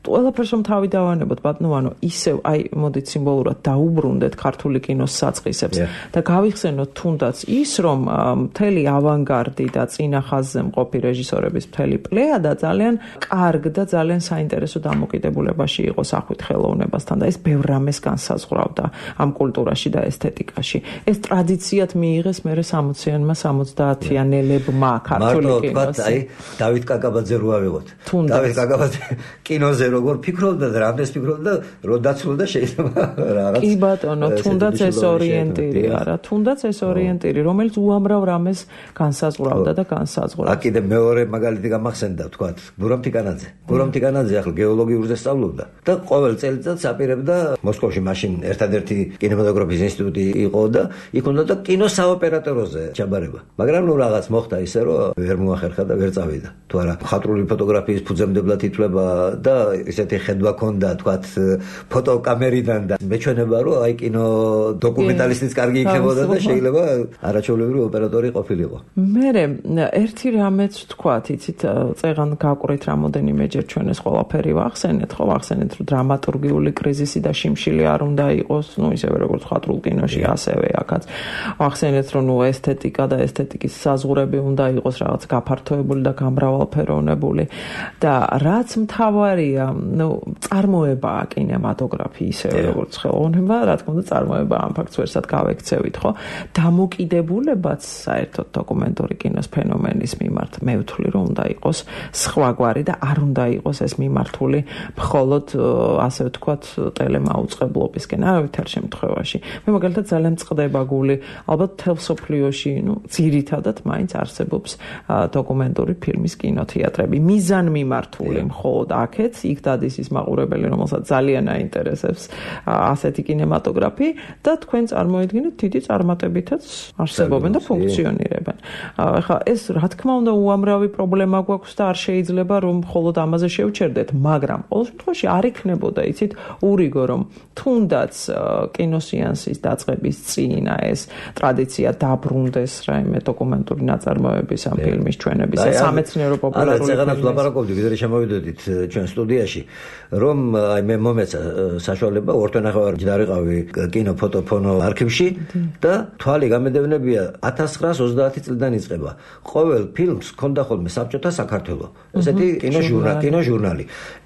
ყველაფერს რომ თავი დავანებოთ ბატონოვანო ისევ აი მოდით სიმბოლურად დაუბრუნდეთ ქართული კინოს საწყისებს და გავიხსენოთ თუნდაც ის რომ მთელი ავანგარდი და წინა ხაზზე მყოფი რეჟისორების მთელი პლეადა ძალიან კარგ და ძალიან საინტერესო დამოკიდებულებაში იყო სახვითი ხელოვნებასთან და ეს ბევრ რამეს განსაზღვრავდა ამ კულტურაში და ესთეტიკაში ეს ტრადიციად მიიღეს მერე 60-იანმა 70-იანელებმა ქართული კინოს აი დავით კაკაბაძე რო ავიღოთ დავით კაკაბაძე კინოზე როგორ ფიქრობდა და რამდენს ფიქრობდა რომ დაცულდა შეიძლება რაღაც კი ბატონო თუნდაც ეს ორიენტირი არა თუნდაც ეს ორიენტირი რომელიც უამრავ რამეს განსაზღვრავდა და განსაზღვრავს კიდე მეორე მაგალითი გამახსენდა ვთქვათ გურამ თიკანაძე ახლა გეოლოგიურზე სწავლობდა და ყოველ წელიწადს აპირებდა მოსკოვში მაშინ ერთადერთი კინემატოგრაფიის ინსტიტუტი იყო და იქ უნდა და კინოს საოპერატოროზე ჩაბარება მაგრამ ნუ რაღაც მოხდა ისე რომ ვერ მოახერხა და ვერ წავიდა თუ არა მხატვრული ფოტოგრაფიის ფუძემდებლად ითვლება და ისეთი ხედვა ქონდა თქვათ ფოტოკამერიდან და მეჩვენება რომ აი კინო დოკუმენტალისტიც კარგი იქნებოდა და შეიძლება არაჩვეულებრივი ოპერატორი ყოფილიყო. მერე ერთი რამეც თქვათ, იცით, წეღან გაყვრით რამოდენიმეჯერ ჩვენ ეს ყველაფერი ვახსენეთ, ხო, ვახსენეთ რომ დრამატურგიული კრიზისი და შიმშილი არ უნდა იყოს, ну ისევე როგორც მხატვრულ კინოში ასევე აქაც. ვახსენეთ რომ ну ესთეტიკა და ესთეტიკის საზღვრები უნდა იყოს რაღაც გაფართოებული და გამრავალფეროვნებული და რაც მთავარია წარმოებაა კინემატოგრაფი ისევე როგორც ხელოვნება, რა თქმა უნდა წარმოება ამ ფაქტს ვერსად გავექცევით, ხო? დამოკიდებულებაც საერთოდ დოკუმენტური კინოს ფენომენის მიმართ მე ვთვლი რომ უნდა იყოს სხვაგვარი და არ უნდა იყოს ეს მიმართული მხოლოდ ასე ვთქვათ ტელემაუწყებლობისკენ, არავითარ შემთხვევაში. მე მაგალითად ძალიან მწყდება გული, ალბათ მთელ მსოფლიოში, ძირითადად მაინც არსებობს დოკუმენტური ფილმის კინოთეატრები. მიზან მიმართული მხოლოდ აქეთ, იქ დადის ის მაყურებელი, რომელსაც ძალიან აინტერესებს ასეთი კინემატოგრაფი და თქვენ წარმოიდგინეთ დიდი წარმატებითაც არსებობენ და ფუნქციონირებენ. ახლა ეს რა თქმა უნდა უამრავი პრობლემა გვაქვს და არ შეიძლება რომ მხოლოდ ამაზე შევჩერდეთ, მაგრამ ყოველ შემთხვევაში არ იქნებოდა, იცით, ურიგო რომ თუნდაც კინოსეანსის დაწყების წინ ეს ტრადიცია დაბრუნდეს რაიმე დოკუმენტური ნაწარმოების ამ ფილმის ჩვენების სამეცნიერო პოპულარული წეგანაც ლაპარაკობდი, ვიდრე შემოვიდოდით ჩვენ სტუდიაში, რომ მე მომეცა საშუალება ორთვენახევარ დარიყავი კინო ფოტოფონო არქივში და თვალი გამედევნებია 1930 წლიდან იწყება. ყოველ ფილმს ჰქონდა ხოლმე საბჭოთა საქართველო. ესეთი კინოჟურნალი.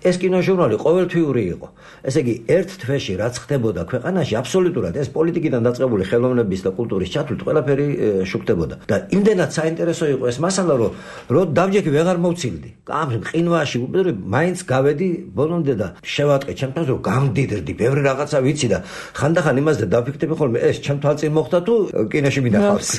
ეს კინოჟურნალი ყოველთვიური იყო. ესე იგი, ერთ თვეში რაც ხდებოდა ქვეყანაში, აბსოლუტურად ეს პოლიტიკიდან დაწყებული ხელოვნების და კულტურის ჩათვლით ყველაფერი შუქდებოდა. და იმდენად საინტერესო იყო ეს მასალა, რომ დავჯექი ვეღარ მოვცილდი. ამ ყინვაში მაინც გავედი ბოლომდე და შევატყე ჩემთან, რომ გამდიდრდი, ბევრი რაღაცა ვიცი და ხანდახან იმაზე დავფიქრდები ხოლმე, ეს ჩემ თვალწინ მოხდა თუ კინოში მინახავს.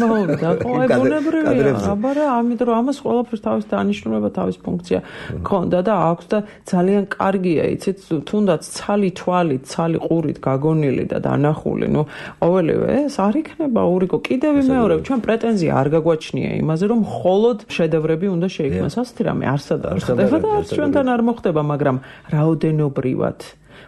აბარა, ამიტომ რომ ამას ყველაფერს თავის დანიშნულება, თავის ფუნქცია ქონდა და აქვს და ძალიან კარგია, იცით, თუნდაც ცალი თვალით, ცალი ყურით გაგონილი და დანახული, ყოველივე ეს არ იქნება ურიგო. კიდევ ვიმეორებ, ჩვენ პრეტენზია არ გაგვაჩნია იმაზე, რომ მხოლოდ შედევრები უნდა შეიქმნას. ასეთი რამე არსად არ ხდება და ჩვენთან არ მოხდება, მაგრამ რაოდენობრივად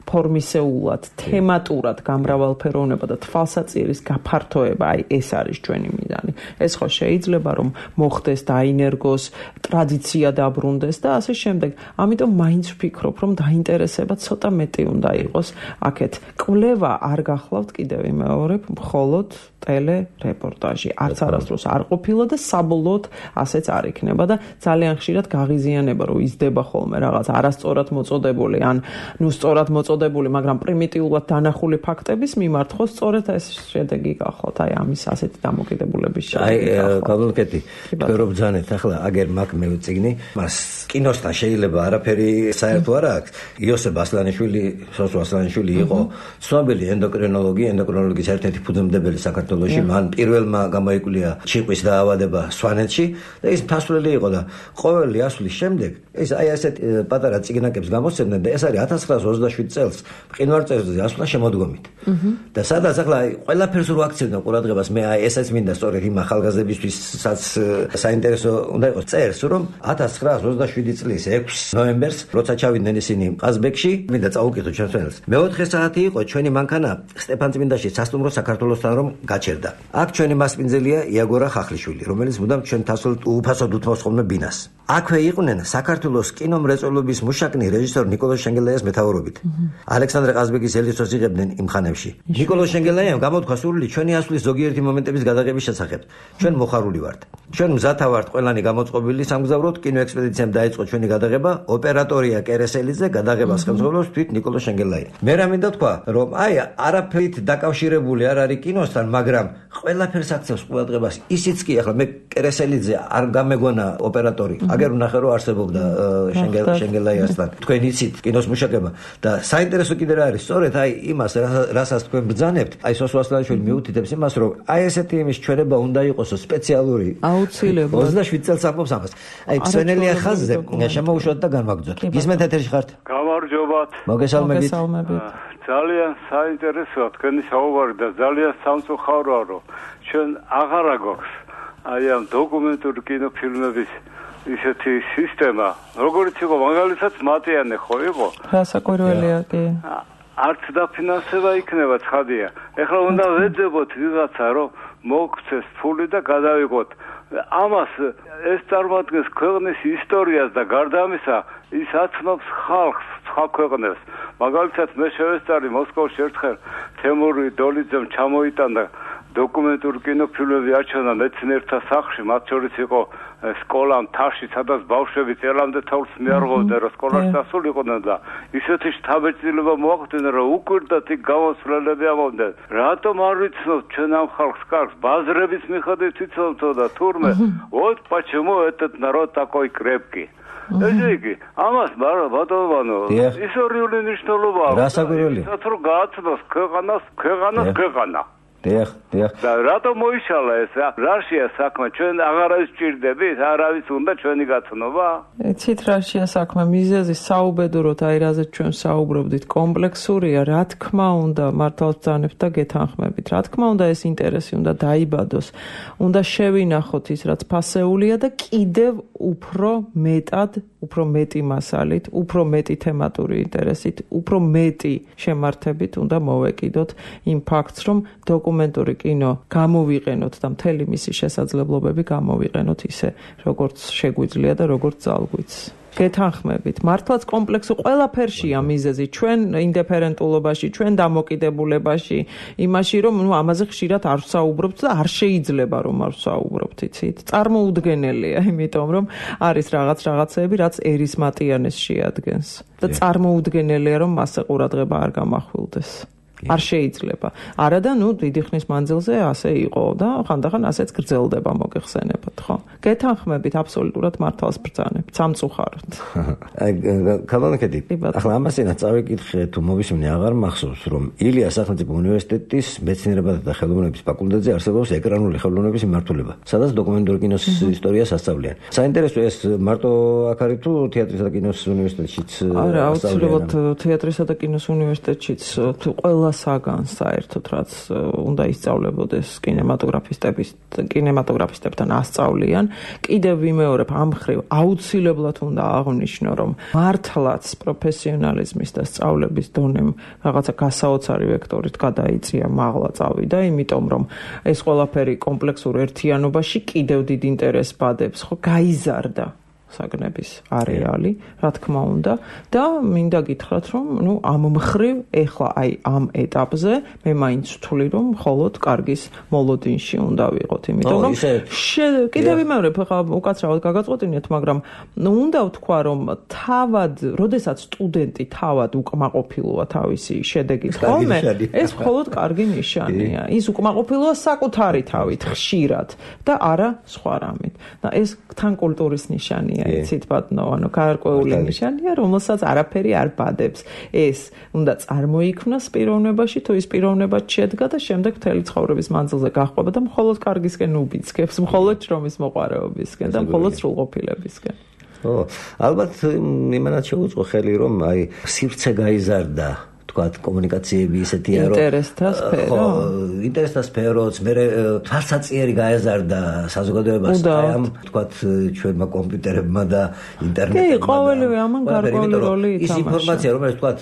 ფორმისეულად, თემატურად გამრავალფეროვნება და თვალსაწირის გაფართოება, ეს არის ჩვენი მიზანი. ეს ხო შეიძლება რომ მოხდეს, დაინერგოს, ტრადიცია დაბრუნდეს და ასე შემდეგ. ამიტომ მაინც ვფიქრობ, რომ დაინტერესება ცოტა მეტი უნდა იყოს აქეთ. კვლევა არ გახლავთ, კიდევ ვიმეორებ, მხოლოდ ტელე-რეპორტაჟი. არც არასდროს არ ყოფილა და საბოლოოდ ასეც არ იქნება და ძალიან ხშირად გაღიზიანება, რომ იზრდება ხოლმე რაღაც არასწორად მოწოდებული ან სწორად მოწოდებული, მაგრამ პრიმიტიულად დანახული ფაქტების მიმართ ხო სწორედ ეს შედეგი გახლავთ, ამის ასეთი დამოკიდებულების შედეგი. გავლენკეთი, თქვენ რომ ბრძანეთ, ახლა აგერ მაგ მე ვწიგნი, მას კინოსთან შეიძლება არაფერი საერთო არ აქვს. იოსებ ასლანიშვილი, სოსო ასლანიშვილი იყო ცნობილი ენდოკრინოლოგის ერთ-ერთი ფუძემდებელი საქართველოში, მან პირველმა გამოიკვლია ჩიყვის დაავადება სვანეთში და ის მთასვლელი იყო და ყოველი ასვლის შემდეგ ეს ასეთ პატარა წიგნაკებს გამოსცემდნენ და ეს არის 1927 წელს მყინვარწელზე ასვლა შემოდგომით. და სადაც ახლა ყველაფერს რო აქცევდნენ ყურადღებას, მე ესეც მინდა სწორედ იმ ახალგაზრდებისთვისაც საინტერესო უნდა იყოს წერს, რომ 1927 წლის 6 ნოემბერს, როცა ჩავიდნენ ისინი ყაზბეგში, მინდა წაუკითხო ჩვენს. მე-4 საათი იყო ჩვენი მანქანა სტეფანწმინდაში სასტუმრო საქართველოსთან რომ გაჩერდა. აქ ჩვენი მასპინძელია იაგორა ხახლიშვილი, რომელიც მუდამ ჩვენ თასვლ უფასოდ უთმობს ხოლმე ბინას. აქვე იყვნენ საქართველოს კინომრეწველობის მუშაკნი რეჟისორ ნიკოლოზ შენგელაიას მეთაურობით. ალექსანდრე ყაზბეგის ელიცოს იღებდნენ იმ ხანებში. ნიკოლოზ შენგელაიამ გამოთქვა სურვილი ჩვენი ასვლის ზოგიერთი მომენტების გადაღების შესახებ. ჩვენ მოხარული ვართ. ჩვენ მზათა ვართ ყველანი გამოწყობილი სამგზავროდ, კინოექსპედიციამ დაიწყო ჩვენი გადაღება, ოპერატორია კერესელიძე, გადაღებას ხელმძღვანელობს თვით ნიკოლოზ შენგელაია. მე რა მინდა თქვა, რომ არაფერით დაკავშირებული არ არის კინოსთან, მაგრამ ყველაფერს აქცევს ყურადღებას. ისიც კი ახლა მე კერესელიძე არ გამეგონა ოპერატორი. აგერ ვნახე რომ არსებობდა შენგელაიასთან. თქვენ იცით კინოს მუშაკება და საინტერესო კიდე რა არის, სწორედ იმას რასაც თქვენ ბრძანებთ, სოსო ასლანიშვილი მიუთითებს იმას, რომ ესეთი იმის ჩვენება უნდა იყოს სპეციალური. აუცილებლად. 27 წელს ამბობს ამას. სვენელია ხაზზე შემოუშვათ და განვაგრძოთ. გისმენთ ეთერში ხართ? გამარჯობათ. მოგესალმებით. ძალიან საინტერესოა თქვენი საუბარი და ძალიან სამწუხაროა, რომ ჩვენ აღარ აქვს ამ დოკუმენტური კინოფილმების ისეთი სისტემა, როგორც იყო მაგალითად მატიანე ხო იყო? რასაკვირველია კი. არც დაფინანსება იქნება ცხადია. ეხლა უნდა ვეძებოთ ვიღაცა, რომ მოგცეს ფული და გადავიღოთ. ამას ეს წარმოადგენს ქვეყნის ისტორიას და გარდა ამისა ის აცნობს ხალხს სხვა ქვეყნებს. მაგალითად მე შევესწარი მოსკოვში ერთხელ თემური დოლიძემ ჩამოიტანდა დოკუმენტური კინოფილმები აჩვენა მეცნიერთა სახლში, მათ შორის იყო სკოლა მთაში, სადაც ბავშვები წელამდე თავს მიარღვევდნენ, რომ სკოლაში დასულიყვნენ და ისეთი შთაბეჭდილება მოახდინა, რომ უკვირდათ იქ გამოსვლელები ამბობდნენ. რატომ არ ვიცნობთ ჩვენ ამ ხალხს კარგს, ბაზრების მიხედვით ვიცნობთო და თურმე, вот почему этот народ такой крепкий. ესე იგი, ამას ბატონო, ისტორიული მნიშვნელობა აქვს. რასაკვირველია? რაც რომ გააცნოს ქვეყანა. დიახ. და რატომ მოიშალა ეს? რაშია საქმე? ჩვენ აღარავის ჭირდებით, არავის უნდა ჩვენი გაცნობა? იცით რაშია საქმე? მიზეზი საუბედუროთ, აი რაზეც ჩვენ საუბრობდით, კომპლექსურია, რა თქმა უნდა, მართალს ბრძანებთ და გეთანხმებით. რა თქმა უნდა, ეს ინტერესი უნდა დაიბადოს. უნდა შევინახოთ ის, რაც ფასეულია და კიდევ უფრო მეტი მასალით, უფრო მეტი თემატური ინტერესით, უფრო მეტი შემართებით უნდა მოვეკიდოთ იმ ფაქტს, რომ დოკუმენტური კინო გამოვიყენოთ და მთელი მისი შესაძლებლობები გამოვიყენოთ ისე, როგორც შეგვიძლია და როგორც ძალგვიც. გეთანხმებით, მართლაც კომპლექსი ყველაფერშია მიზეზი, ჩვენ ინდიფერენტულობაში, ჩვენ დამოკიდებულებაში, იმაში, რომ ამაზე ხშირად არ ვსაუბრობთ და არ შეიძლება რომ არ ვსაუბრობთ, იცით? წარმოუდგენელია, იმიტომ რომ არის რაღაცეები, რაც ერისმატიანეს შეადგენს და წარმოუდგენელია, რომ მასზე ყურადღება არ გამახვილდეს. არ შეიძლება. არა და დიდი ხნის მანძილზე ასე იყო და ხანდახან ასეც გრძელდება მოგეხსენებათ, ხო? გეთანხმებით, აბსოლუტურად მართალს ბრძანებთ, სამწუხაროდ. კალონკედი, ახლა ამასინა წავიკითხე თუ მოვისმინე აღარ მახსოვს, რომ ილიას სახელმწიფო უნივერსიტეტის მეცნიერებათა და ხელოვნების ფაკულტეტზე არსებობს ეკრანული ხელოვნების მიმართულება, სადაც დოკუმენტური კინოს ისტორიას ასწავლიან. საინტერესო ეს მარტო აქ არის თუ თეატრისა და კინოს უნივერსიტეტშიც? არა, აუცილებლად თეატრისა და კინოს უნივერსიტეტშიც ყველა საგანს საერთოდ რაც უნდა ისწავლებოდეს კინემატოგრაფისტებთან ასწავლიან. კიდევ ვიმეორებ ამ მხრივ აუცილებლად უნდა აღვნიშნო, რომ მართლაც პროფესიონალიზმის და სწავლების დონემ რაღაცა გასაოცარი ვექტორით გადაიწია, მაღლა წავიდა, იმიტომ რომ ეს ყველაფერი კომპლექსურ ერთიანობაში კიდევ დიდ ინტერესს ბადებს, ხო, გაიზარდა საგნების არეალი, რა თქმა უნდა და მინდა გითხრათ, რომ ამ მხრივ ეხლა აი ამ ეტაპზე მე მაინც ვთვლი, რომ მხოლოდ კარგის მოლოდინში უნდა ვიყოთ, იმიტომ რომ კიდევ ვიმეორებ, ხა უკაცრავად გაგაწყვეტინეთ, მაგრამ უნდა ვთქვა, რომ თავად, როდესაც სტუდენტი თავად უკმაყოფილოა თავისი შედეგით, ხოლმე ეს მხოლოდ კარგი ნიშანია. ის უკმაყოფილოა საკუთარი თავით ხშირად და არა სხვა რამით. და ეს თან კულტურის ნიშანია. იცით ბატონო, გარკვეული ნიშანია, რომელსაც არაფერი არ ბადებს. ეს უნდა წარმოიქმნას პიროვნებაში, თუ ის პიროვნება შედგა და შემდეგ მთელი ცხოვრების მანძილზე გაჰყვება და მხოლოდ კარგისკენ უბიძგებს, მხოლოდ შრომის მოყვარეობისკენ და მხოლოდ სრულყოფილებისკენ. ალბათ იმანაც შეუწყო ხელი, რომ აი სივრცე გაიზარდა თქვათ კომუნიკაციები ისეთია რომ ინტერესთა სფეროც მე თვალსაწიერი გაეზარდა საზოგადოებას აი ამ თქვათ ჩვენმა კომპიუტერებმა და ინტერნეტებმა. კი, ყოველივე ამან გარკვეული როლი ითამაშა. ის ინფორმაცია რომელიც თქვათ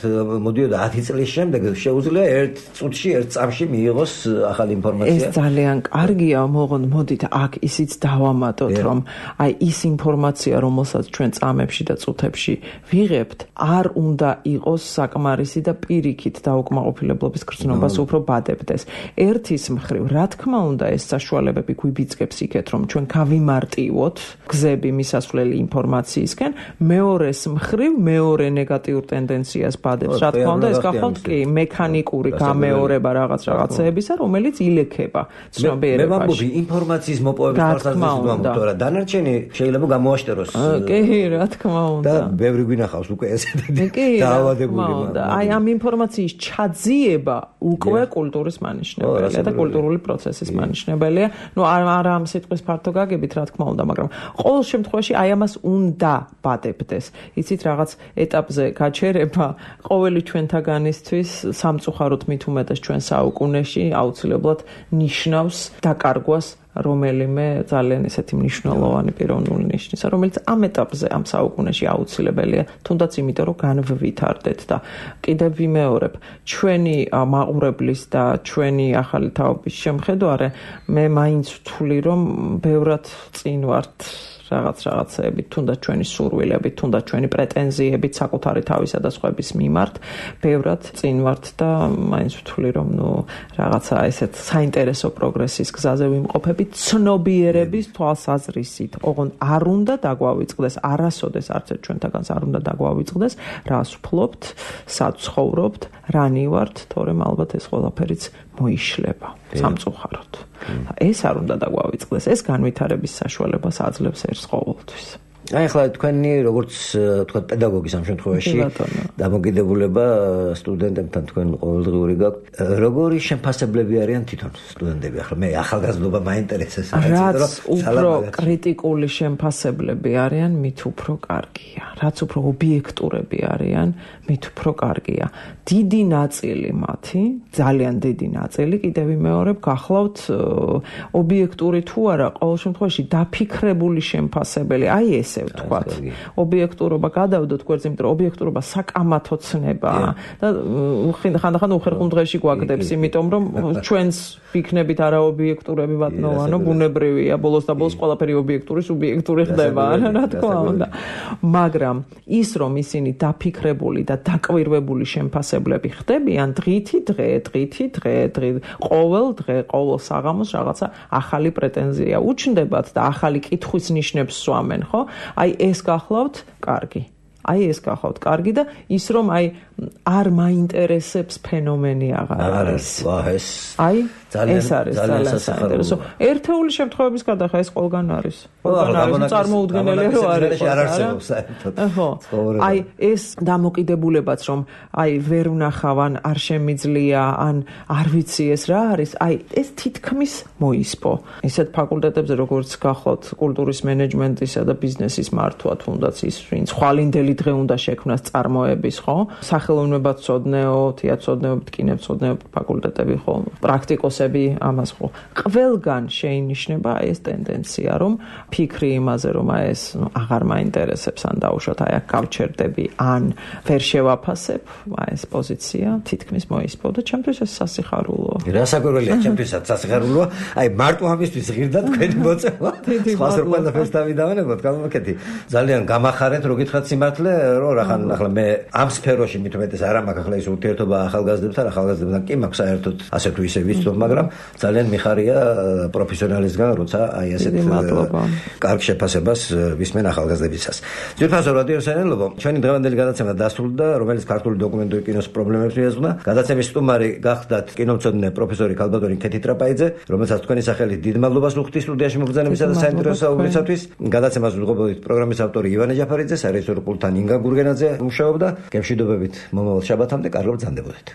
მოდიოდა 10 წლის შემდეგ შეუძლია ერთ წუთში, ერთ წამში მიიღოს ახალი ინფორმაცია. ეს ძალიან კარგია, მოდით აქ ისიც დავამატოთ, რომ აი ის ინფორმაცია, რომელსაც ჩვენ წამებში და წუთებში ვიღებთ, არ უნდა იყოს საკმარისი და პირიქით დაუკმაყოფილებლობის გრძნობას უფრო ბადებდეს. ერთის მხრივ, რა თქმა უნდა, ეს საშუალებები გვიბიძგებს იქეთ, რომ ჩვენ გავიმარტივოთ გზები მისასვლელი ინფორმაციისკენ, მეორეს მხრივ, მეორე ნეგატიურ ტენდენციას ბადებს. რა თქმა უნდა, ეს გახვალთ კი მექანიკური გამეორება რაღაცეებისა, რომელიც ილექება ცნობიერებაში. მე ვამბობ ინფორმაციის მოპოვების თვალსაზრისით, თორე დანარჩენი შეიძლება გამოაშტეროს. კი, რა თქმა უნდა. და ბევრი გვინახავს უკვე ესეთი დაავადებული. აი ამ ინფორმაციის ჩაძიება უკვე კულტურის მანიშნებელია და კულტურული პროცესის მანიშნებელია. არა ამ სიტყვის ფართო გაგებით, რა თქმა უნდა, მაგრამ ყოველ შემთხვევაში აი ამას უნდა ბადებდეს. იცით, რაღაც ეტაპზე გაჩერება ყოველი ჩვენთაგანისთვის სამწუხაროდ მით უმეტეს ჩვენ საუკუნეში აუცილებლად ნიშნავს დაკარგვას რომელიმე ძალიან ესეთი მნიშვნელოვანი პიროვნული ნიშნისა, რომელიც ამ ეტაპზე, ამ საუკუნეში აუცილებელია, თუნდაც იმიტომ, რომ განვვითარდეთ და კიდევ ვიმეორებ, ჩვენი მაყურებლის და ჩვენი ახალი თაობის შემხედვარე, მე მაინც ვთვლი, რომ ბევრად წინ ვართ რაღაცეებით, თუნდაც ჩვენი სურვილებით, თუნდაც ჩვენი პრეტენზიებით საკუთარი თავისა და სხვების მიმართ, ბევრად წინ ვართ და მაინც ვთვლი, რომ რაღაცა ესეთ საინტერესო პროგრესის გზაზე ვიმყოფებით, ცნობიერების თვალსაზრისით. ოღონდ არ უნდა დაგვავიწყდეს, არასოდეს არც ერთ ჩვენთაგანს არ უნდა დაგვავიწყდეს, რას ვფლობთ, სად ცხოვრობთ, რანი ვართ, თორემ ალბათ ეს ყველაფერიც მოიშლება სამწუხაროდ. ეს არ უნდა დაგვავიწყდეს, ეს განვითარების საშუალებას აძლევს ერთს ყოველთვის. აი ახლა თქვენი როგორც თქვა პედაგოგის ამ შემთხვევაში დამოკიდებულება სტუდენტებთან თქვენ ყოველდღიური გაქვთ. როგორი შემფასებლები არიან თვითონ სტუდენტები? ახლა მე ახალგაზრდობა მაინტერესებს, რაც უფრო კრიტიკული შემფასებლები არიან, მით უფრო კარგია. რაც უფრო ობიექტურები არიან, მით უფრო კარგია. დიდი ნაწილი მათი, ძალიან დიდი ნაწილი, კიდევ ვიმეორებ, გახლავთ ობიექტური თუ არა, ყოველ შემთხვევაში დაფიქრებული შემფასებელი. აი ესე ვთქვათ. ობიექტურობა გადავდოთ გვერდზე, იმიტომ რომ ობიექტურობა საკამათო ცნებაა და ხანდახან უხერხულ დღეში გვაგდებს, იმიტომ რომ ჩვენს ვიქნებით არაობიექტურები ვატნოვანო, ბუნებრივია, ბოლოს და ბოლოს ყველაფერი ობიექტური, სუბიექტური ხდება, რა თქმა უნდა. მაგრამ ის რომ ისინი დაფიქრებული და დაკვირვებული შემფასებლები ხდებიან დღითი დღე, ყოველ დღე, ყოველ საღამოს რაღაცა ახალი პრეტენზია უჩნდებათ და ახალი კითხვის ნიშნებს სვამენ, ხო? აი ეს გახლავთ კარგი. აი ეს გახლავთ კარგი და ის რომ აი არ მაინტერესებს ფენომენი აღარ არის. აი ეს არის ძალიან საინტერესო. ერთეული შემთხვევების გადახდა ეს ყველგან არის. ყველგან არის წარმოუდგენელი რო არის. ხო. აი ეს დამოკიდებულებაც რომ აი ვერ ვნახავან, არ შემიძლია, ან არ ვიცი ეს რა არის, აი ეს თითქმის მოისპო. ისეთ ფაკულტეტებზე როგორც გახლავთ კულტურის მენეჯმენტისა და ბიზნესის მართვა, თუნდაც ის ვინც ხვალინდელი დღე უნდა შექმნას წარმოების, ხო? ხელოვნებაცოდნეო, თეატრცოდნეო, კინემცოდნეო ფაკულტეტები, ხო? პრაქტიკოსები ამას ხო. ყველგან შეინიშნება ეს ტენდენცია, რომ ფიქრი იმაზე, რომ ეს აღარ მაინტერესებს, ან დაუშვათ აი აქ გავჩერდები, ან ვერ შევაფასებ, ეს პოზიცია თითქმის მოისპო და ჩემთვის ეს სასიხარულოა. რასაკვირველია ჩემთვისაც სასიხარულოა. აი მარტო ამისთვის ღირდა თქვენი მოწევა. სხვას რო ყველაფერს დავიდავანებოთ, გამოვაკეთი. ძალიან გამახარეთ, რო გითხრათ სიმართლე, რომ ახლა მე ამ სფეროში მით უმეტეს არ მაქვს ახლა ის ურთიერთობა ახალგაზრდებთან კი მაქვს საერთოდ ასე თუ ისე ვიცნობ, მაგრამ ძალიან მიხარია პროფესიონალისგან, როცა აი ასეთ კარგ შეფასებას ვისმენ ახალგაზრდებისას. ძირფასო რადიო საინელობო, ჩვენი დღევანდელი გადაცემა დასრულდა, რომელიც ქართული დოკუმენტური კინოს პრობლემებს მიეძღვნა. გადაცემის სტუმარი გახდათ კინომცოდნე პროფესორი ქალბატონი ქეთი ტრაპაიძე, რომელსაც თქვენი სახელით დიდ მადლობას ვუხდით სტუდიაში მოგზაურობისა და საინტერესო საუბრისათვის. გადაცემას ვიღებოდით პროგრამის ავტორი ივანე ჯაფარიძე, სარეჟისორო პულტთან ინგა გურგენაძე მუშაობდა. გემშვიდობებით მომავალ შაბათამდე, კარგად ბრძანდებოდეთ.